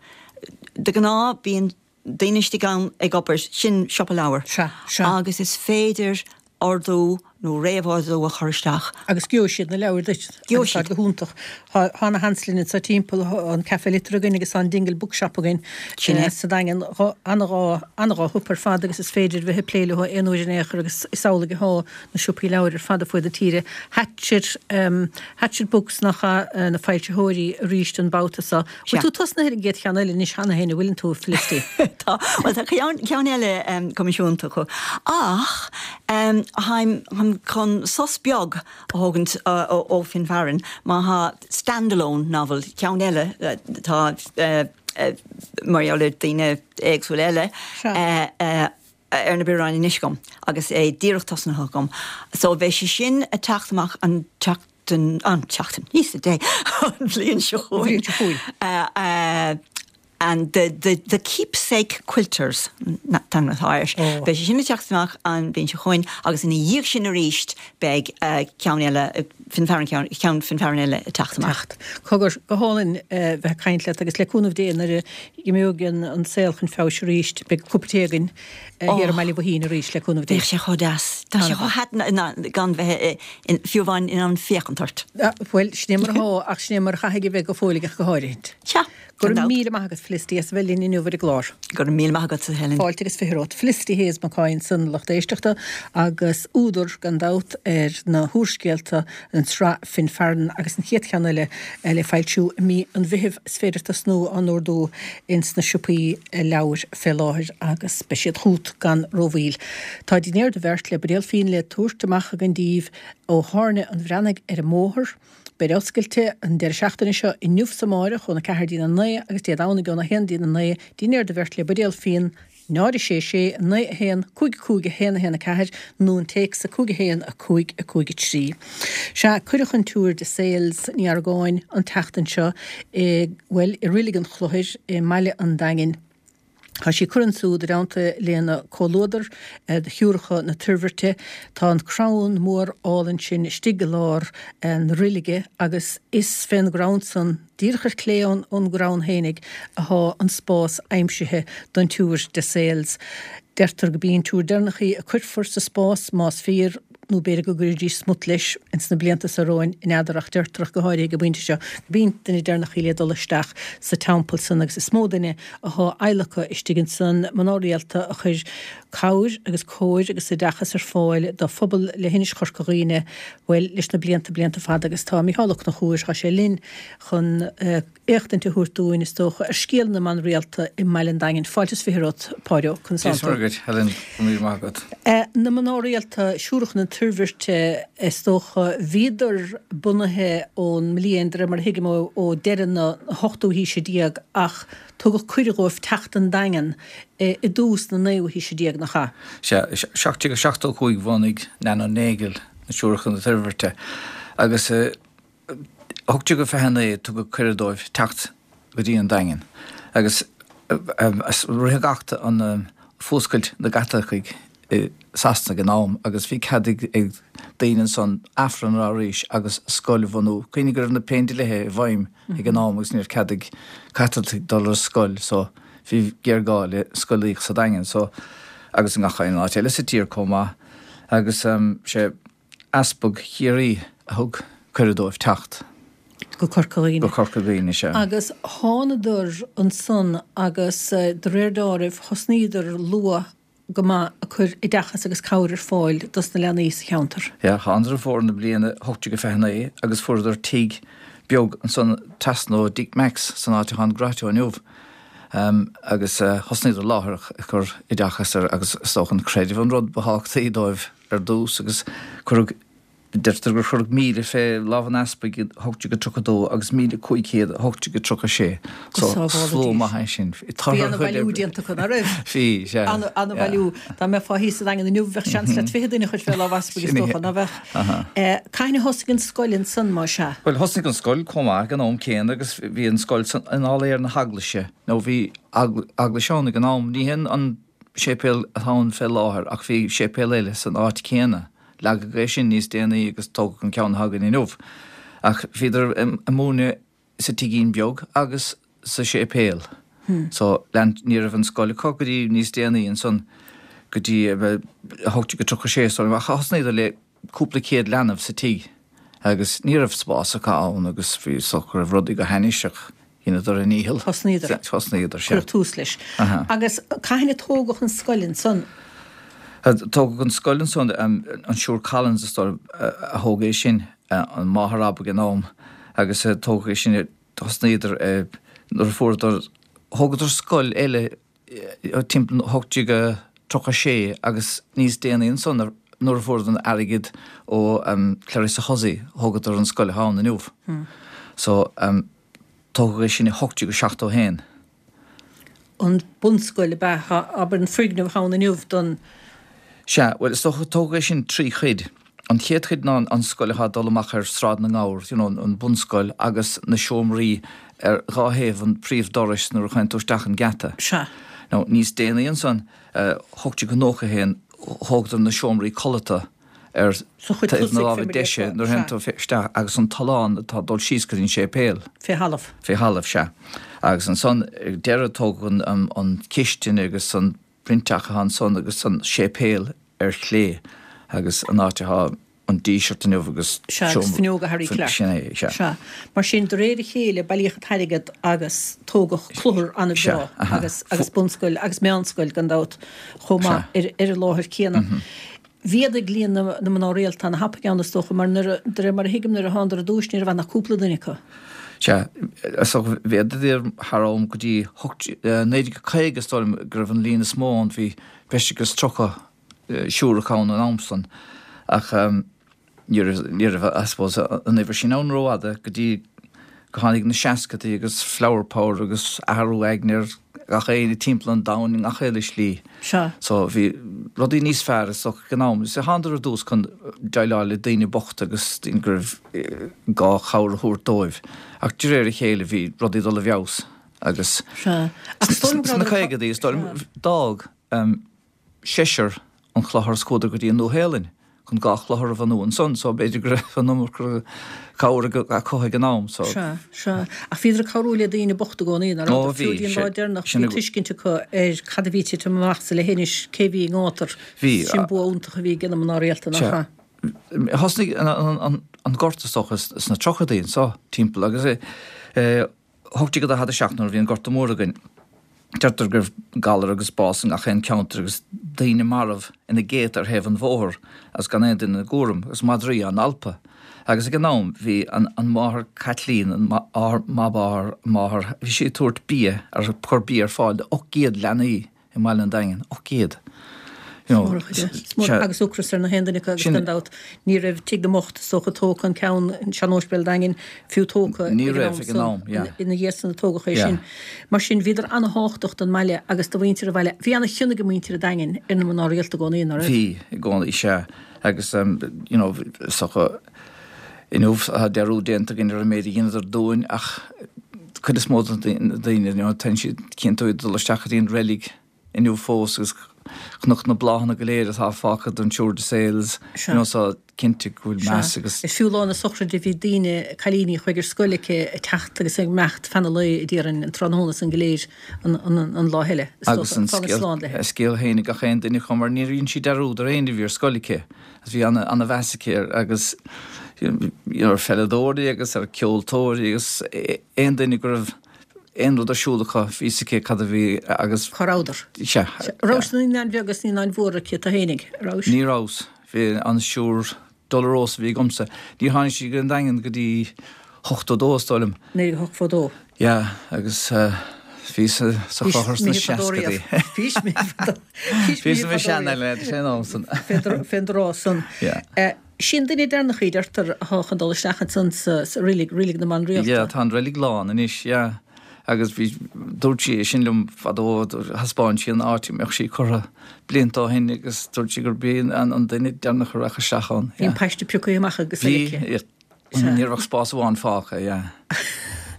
De ghnáth bíonn daoine istigh ann ag obair sin siopa leabhar. Sea, sea. Agus is féidir ordú nó réamhordú a chur isteach. Agus gheobhaidh siad na leabhair duit. Gheobhaidh siad. Go hiontach. Tá na Hanslin sa timpeall an Café Liteartha againn agus an Dingle Bookshop againn Sin é. eh, sa Daingean an-dhá an-dhá shiopa ar fad agus is féidir bheith ag plé leo aon uair in aon chor agus is amhlaidh atá na siopaí leabhar ar fad ar fud na tíre. Hatchet um, Hatchet Books nach uh, na foilsitheoirí arís an babhta seo. Sea. Bhfuil tú tosnaithe ar an gcéad cheann eile anois cheana féin, bhfuil tú Felicity. Tá well tá ceann ceann eile um, coimisiúnta acu. Ach um, táim táim chun sos beag a thógaint uh, ó, ó Finfearn má tá standalone novel ceann eile uh, tá uh, uh, mar gheall ar daoine éagsúla eile Sea. uh, uh, ar na bioráin anois agam agus é díreach tosnaithe agam. So bheidh sé sin ag teacht amach an tseachtain an tseachtain níos dé an bhliain seo Bhliain seo chugainn. Uh, uh, and the, the, the keepsake quilters tan atá Oh. Beidh sé sin ag teacht amach an bhliain seo chugainn agus ina dhiaidh sin arís beidh uh, ceann eile uh, Finfearn ceann ceann Finfearn eile ag teacht amach. Teacht. Cogar go hálainn eh, bheith ag caint leat agus le cúnamh Dé nuair a imeoidh an an saol chun feabhais arís beidh cupa tae againn eh, Oh. thiar i mBaile Bhuithín arís le cúnamh Dé. Bheadh sé chomh deas. Tá sé chomh hat na gan bheith in fiú amháin in ann féachaint ort. Ah, Bhuel, sin é mar atá ach sin é mar a chaithfidh a bheith go fóill go háirithe. Sea. Go raibh míle maith agat Felicity as bheith linn inniu ar an gclár. Go raibh míle maith agat Helen. Fáilte agus fiche romhat Felicity Hayes McCoy san lucht éisteachta agus údar gan dabht ar na húrscéalta an tsraith Finfearn agus an chéad cheann eile le foilsiú i mí an Mheithimh is féidir tosnú á n-ordú ins na siopaí leabhar fé láthair agus beidh siad chugat gan rómhoill. Tá dinnéar do bheirt le buidéal fíon le tabhairt amach againn daoibh ó Thábhairne an Bhreathnaigh ar an mbóthar. Beidh oscailte an deireadh seachtaine seo inniu is amárach óna ceathair dtína naoi agus Dé Domhnaigh óna haon dtína naoi, dinnéar do bheirt le buidéal fíon, náid a sé sé, naoi a haon, cúig cúig a haon a haon a ceathair nó an téacs a cúig a haon a cúig a cúig a trí. Sea, cuireadh an tSiúr de Sales Ní Argáin an tseachtain seo i, bhuel, i Reilig an Chlochair i mbaile an Daingin. Tá sí curtha ansúd i dteannta lena comhluadar de Shiúracha na Toirbhirte. Tá an crann mór álainn sin istigh i lár na reilige agus is fén gcrann san, díreach ar clé ón gcrann fhéinig, athá an spás aimsithe don tSiúr de Sales. Deirtear go b'í an tSiúr deireanach í a cuirfear sa spás, más fíor, nó b'fhéidir go gcuirfidís smut leis ins na blianta seo romhainn, n'fheadar, ach deirtear ach go háirithe ag an bpointe seo go b'í an duine deireanach í le dul isteach sa teampall san agus is mó duine athá adhlactha istigh ansan, mná rialta a chuir cabhair agus cóir agus oideachas ar fáil do phobal leithinis Chorca Dhuibhne, bhuel, leis na blianta, blianta fada agus tá Mícheál Ó Conchúir, tá sé linn chun éachtaint a thabhairt dúinn, is dócha, ar scéal na mban rialta i mbaile an Daingin. Fáilte is fiche romhat, Páidí Ó, conas tánn tú? Dia is Muire dhuit, Helen, go raibh míle maith agat. Na mná rialta, Siúracha na Toirbhirte, is dócha, bhíodar bunaithe ón mbliain, de réir mar a thuigim, ó deireadh na hochtú haoise déag ach tugadh cuireadh dhóibh teacht don Daingean i dtús na naoú haoise déag, nach ea? Sea, seacht déag seachtó a cúig bhunaigh Nan O'Neill na Siúracha na Toirbhirte agus ocht déag fiche a naoi tugadh cuireadh dóibh teacht go dtí an Daingean agus ritheadh acht an fuascailt na gCaitlicigh i Sasana ag an am agus bhí cead ag daoine ansan Aifreann a rá arís agus scoil a bhunú. Cuimhnigh go raibh na Péindlíthe i bhfeidhm ag an am agus ní raibh cead ag Caitlicigh dul ar scoil so bhí géarghá le scolaíocht sa Daingean so agus i ngach aon áit eile sa tír chomh maith agus sé Easpag Chiarraí a thug cuireadh dóibh teacht. Go Corca Dhuibhne. Go Corca Dhuibhne, sea. Agus thánadar ansan agus de réir deáraimh thosnaíodar luath go maith ag cur oideachas agus cabhair ar fáil dos na leanaí sa cheantar. Sea, thánadar i bhfómhar na bliana ocht déag fiche naoi agus fuaireadar tigh beag ansan trasna ó Dick Mack's san áit atá an Grotto inniu agus thosnaíodar láithreach ag cur oideachas ar agus is dócha an creideamh an rud ba thábhachtaí dóibh ar dtús agus cuireadh Deirtear gur cuireadh míle fé lámh an easpaig i hocht déag tríocha a dó agus míle cúig chéad i hocht déag tríocha sé. Go So, sábhála slua Dia maith sinn. é sin. Bhí Tortha ana chuile bhailiú oibre. déanta acu, ná raibh? Bhí, sea. Ana, ana Yeah. bhailiú. Dá mbeifeá thíos sa Daingean inniu bheadh seans leat fiche duine a chur fé lámh easpaig is Sin é. dócha, ná bheadh? Aha. Eh, cathain a thosaigh an scoil ansan, má sea? Bhuel, thosnaigh an scoil chomh maith ag an am céanna agus bhí an scoil san, in áiléar na heaglaise, nó bhí eagl, eaglais ann ag an am. Ní hin an séipéal atá ann fé láthair ach bhí séipéal eile san áit chéanna. Leagadh é sin níos déanaí agus tógadh an ceann atá againn inniu. Ach bhíodar ag múineadh sa tigín beag agus sa séipéal. So lean, ní raibh an scoil acu go dtí níos déanaí ansan, go dtí a hocht déag tríocha sé, so ach thosnaíodar le cúpla céad leanbh sa tigh agus ní raibh spás acu ann agus bhí so go raibh rudaí go hainnis ach dheineadar a ndícheall. Thosnaíodar. Thosnaíodar, sea. Cuireadh tús leis. Aha. Agus cathain a tógadh an scoil ansan? Tógadh an scoil ansan, an Siúr Collins is dóigh a thóg é sin, an máthair ab ag an am, agus tógadh é sin, thosnaíodar nuair a fuaireadar, thógadar scoil eile timpeall hocht déag tríocha sé agus níos déanaí ansan nuair a fuaireadar an airgead ó Clarissa Hussey, thógadar an scoil atá ann inniu. So tógadh é sin i hocht déag seachtó haon. An bunscoil ab ea, abair an foirgneamh atá ann inniu don. Sea, bhuel, is dócha, tógadh é sin trí chuid. An chéad chuid ná an scoil atá ag dul amach ar Sráid na nGabhar, you know, an bunscoil agus na seomraí ar dhá thaobh an príomhdorais nuair a théann tú isteach an geata. Sea. Now, níos déanaí ansan, hocht déag nócha haon, thógadar na seomraí codlata ar Sa chuid taobh na tosaigh, láimhe fé mar a deise déarfá. nuair a théann Sea. tú isteach agus an tollán atá ag dul síos go dtí an séipéal. Fé thalamh. Fé thalamh, sea. Agus ansan, ag deireadh, tógadh an, an, an chistin agus an proinnteach atá ansan agus an séipéal ar chlé agus an áit atá an Díseart inniu agus Sea, agus seomra, fuinneoga Harry Clarke. Sin é, sea. Sea. Mar sin, de réir a chéile, bailíodh an t-airgead agus tógadh cluthar Sea, an-bhreá aha. agus, agus bunscoil agus meánscoil, gan dabht, chomh maith Sea. ar, ar an láthair céanna. Mhéadaigh líon na, na mná rialta ana-thapaidh ann, is dócha, mar nuair a, de réir mar a thuigim, nuair a thánadar ar dtúis ní raibh ann ach cúpla duine acu. Sea, is dócha, mhéadaíodar thar am go dtí hocht, naoi déag caoga, is dóigh liom, go raibh an líon is mó ann, bhí breis agus tríocha siúrach ann an am san. Ach ní raibh, ní raibh, I suppose, an uimhir sin ann rófhada go dtí go tháinig na seascadaí agus flower power agus athrú aigne ar gach éinne timpeall an domhain i ngach uile slí. Sea. So bhí rudaí níos fearr is dócha ag an am. Is thánadar ar dtús chun déileáil le daoine bochta agus daoine go raibh gá cabhair a thabhairt dóibh. Ach de réir a chéile bhí rudaí ag dul i bhfeabhas agus Sea. Ach is dóigh liom go sna rabhadar caogadaí is dóigh liom d'fhág seisear an clochar is chuadar go dtí an Nua-Shéalainn chun dhá chlochar a bhunú ansan so b'fhéidir go raibh an iomarca cabhair acu ag an am so. Sea, sea. Ach bhíodar ag cabhrú le daoine bochta i gcónaí, nach Ó rabhadar? bhí, Fiú dtí an lá sé, deireanach sin bhí tuiscint acu ar cad a bhí ag titim amach sa leithinis, cé bhí i ngátar. Bhí. Sin bua iontach a bhí ag na mná rialta, nach Sea. ea? Thosnaigh an, an, an gorta is dócha sna tríochadaí anso timpeall agus eh, hocht déag daichead a seacht nuair a bhí an Gorta Mór againn. Deirtear go raibh galar agus bás i ngach aon ceantar agus daoine marbh ina gcéadta ar thaobh an bhóthair agus gan aon duine ina gcúram agus madraí á n-alpadh. Agus ag an am bhí an, an máthair Caitlín, an máthair, máthair, bhí sí ag tabhairt bia, ar cur bia ar fáil do ocht gcéad leanaí i mbaile an Daingin, ocht gcéad. You know, Agus ocras ar na haon duine acu agus gan dabht ní raibh Tigh na mBocht is dócha tógtha an ceann an sean-óispidéal Daingean fiú tógtha Ní raibh ag an am, yeah. Ina dhiaidh san a tógadh é sin. Mar sin bhíodar ana-thábhachtach don mbaile agus do mhuintir an bhaile. Bhí ana-chion ag muintir an Daingin ar na mná rialta i gcónaí, ná raibh? Bhí i gcónaí, sea. Agus you know, is dócha inniu tá dearúd déanta againn ar an méid a dheineadar dúinn ach cuid is mó de na daoine, you know, téann siad cinnte ag dul isteach go dtí an reilig inniu fós agus chonac na bláthanna go léir atá fágtha don Siúr de Sales, you know, so cinnte go bhfuil meas agus. Is fiú lá na sochraide bhí daoine, cailíní a chuaigh ar scoil aici ag teacht agus ag imeacht fan an lae déarfainn an tráthnóna san go léir an, an, an lá eile. Is Agus dócha, an fágaint scéal, slán léi. a scéal féin ag gach aon duine acu mar níor dhein sí dearúd ar éinne a bhí ar scoil aici. Agus bhí ana, ana mheas aici air agus you know, ar pheileadóirí agus ar ceoltóirí agus aon duine go raibh aon rud ar siúl acu, bhí fhios aici cad a bhí agus. Cá rabhadar? Sea. Rabhais sna naíonáin bheaga agus naíonáin mhóra aici tú fhéinig, rabhais? Ní rabhas. Bhí an Siúr Dolorosa a bhí agamsa. Níor tháinig sí go dtí an Daingean go dtí hochtó dó is dóigh liom. Naoi déag ochtó dó. Yeah, agus bhíos sa clochar sna seascadaí. Bhís mé fadó. Bhís mé sean-eile, sé an am san. Fén dtráth san. Yeah. Sin duine deireanach í, deirtear, atá chun dul isteach ansan sa reilig, reilig na mban rialta. Yeah, tá an reilig lán anois, yeah. Agus bhí, dúirt sí é sin liom fadó, thaispeáin sí an áit a mbeadh sí curtha blianta ó shin agus dúirt sí gurb í an, an duine deireanach a rachadh isteach ann. Bhí an paiste pioctha amach agus Bhí, aici. yeah. Ní raibh ach spás amháin fágtha, yeah.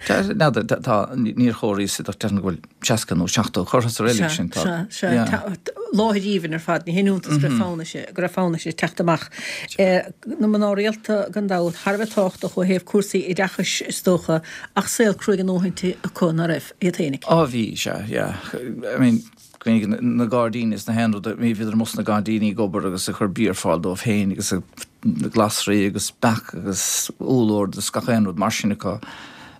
Tá, n'fheadar, tá, tá, níor chomhair ach déarfainn go bhfuil seasca nó seachtó curtha sa reilig sin, tá. Sea, sea, Yeah. tá, láthair aoibhinn ar fad, ní haon iontas go raibh fonn uirthi, go raibh fonn uirthi teacht amach. Na mná rialta gan dabht, thar a bheith tábhachtach ó thaobh cúrsaí oideachais is dócha, ach saol cruaidh a ndóthain acu ná raibh, iad fhéinig. Á bhí, sea, yeah. I mean, cuimhnigh na gairdíní is na haon rud, bhí bhíodar amuigh sna gairdíní ag obair agus ag cur bia ar fáil dóibh féin agus na glasraí agus beach agus úllord agus gach aon rud mar sin acu.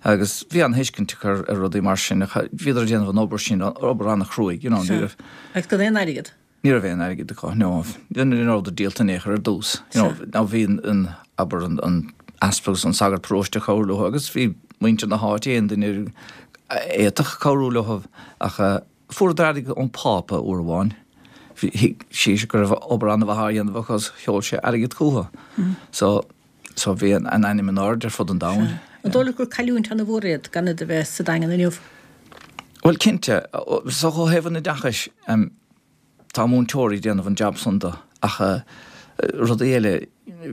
Agus bhí an-thuiscint acu ar, ar rudaí mar sin, ach bhíodar ag déanamh an obair sin, obair an-chruaidh, you know, ní raibh. Agus gan aon airgead? Ní raibh aon airgead acu, no. Ní rabhadar díolta in aon chor ar dtús. You know, now bhí an, an, abair an, an easpag agus an sagart paróiste ag cabhrú leo agus bhí muintir na háite aon duine a fhéadfadh cabhrú leo ach fuaireadar airgead ón Phápa uair amháin. Bhí, thuig sé go raibh obair an-mhaith á dhéanamh acu agus sheol sé airgead chucu. So, so bhí an, an ainm in airde ar fud an domhain. An dóigh leat gur cailliúint an-mhór iad gan iad a bheith sa Daingean inniu? Bhuel, cinnte, so ó thaobh an oideachais, tá múinteoirí ag déanamh an jab san do, ach rudaí eile,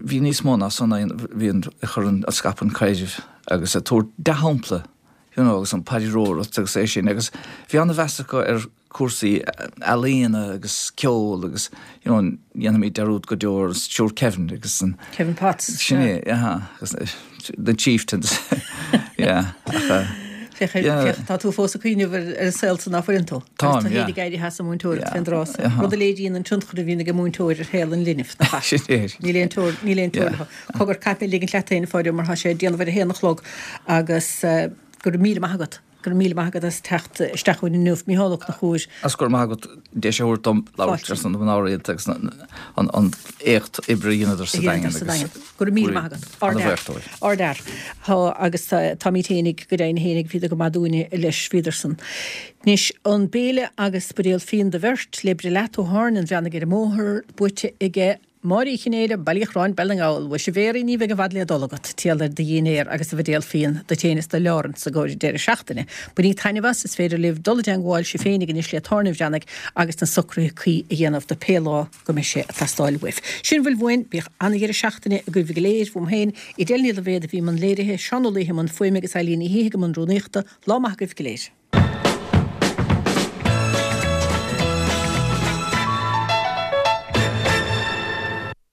bhí níos mó ná san ann, bhí an, ag cur an, ag scaipeadh an chreidimh agus ag tabhairt dea-shampla, you know, agus an paidreoireacht agus é sin, agus bhí an-mheas acu ar cúrsaí ealaíona agus ceol agus, you know, dhéanfaimid dearúd go deo ar Siúr Kevin agus an Kevin Potts. Sin é, aha, agus the Chieftains. Yeah, ach, uh, Féach, yeah. féach, tá tú fós ag cuimhneamh ar, ar an saol san ná fuileann tú. Táim, Agus tá yeah. héinig éirithe as an múinteoireacht Yeah, fén dtráth. aha. Rud a léiríonn an tionchar a bhíonn ag an múinteoir ar shaol an linbh, nach ea? Sin é. Níl aon teoir, níl aon teoir Yeah. leo. Cogar caithfidh mé ligint leat féin, a Pháidí, mar tá sé ag déanamh ar a haon a chlog agus uh, go raibh míle maith agat. Go raibh míle maith agat as teacht isteach chugainn inniu, Mícheál Ó Conchúir. As go raibh maith agat deis a thabhairt dom labhairt Fáilte. ar son na mná rialta agus an, an éacht oibre a dheineadar sa A dheineadar Daingean sa agus Daingean. Go raibh míle maith agat. Ana bhuíoch dóibh. Ardfhear. Tá agus táimid fhéinig go deimhin fhéinig bhíodar go maith dúinne leis bhíodar san. Anois an béile agus buidéal fíon do bheirt le breith leat ó Tháirne an Bhreathnaigh ar an mbóthar buaite aige Máire Uí Chinnéide, Baile Uí Chorráin, Baile na nGall, Mhuise a Mhéaraí, ní bheidh i bhfad le dul agat, triall ar do dhinnéar agus do bhuidéal fíon duit féin is do Laurence i gcomhair an deireadh seachtaine. Bainígí taitneamh as, is féidir libh dul i dteangmháil sibh féinig anois le Tábhairne an Bhreathnaigh agus na socruithe cuí a dhéanamh do pé lá go mbeidh sé ag teastáil uaibh. Sin a bhfuil uainn, bíodh an-dheireadh seachtaine agaibh go léir, uaim féin, Edel Ní Loibhéad a bhí i mbun léirithe, Seán Ó Laoithe i mbun fuaime agus Eileen Ní Shíthigh i mbun rúnaíochta, lá maith agaibh go léir.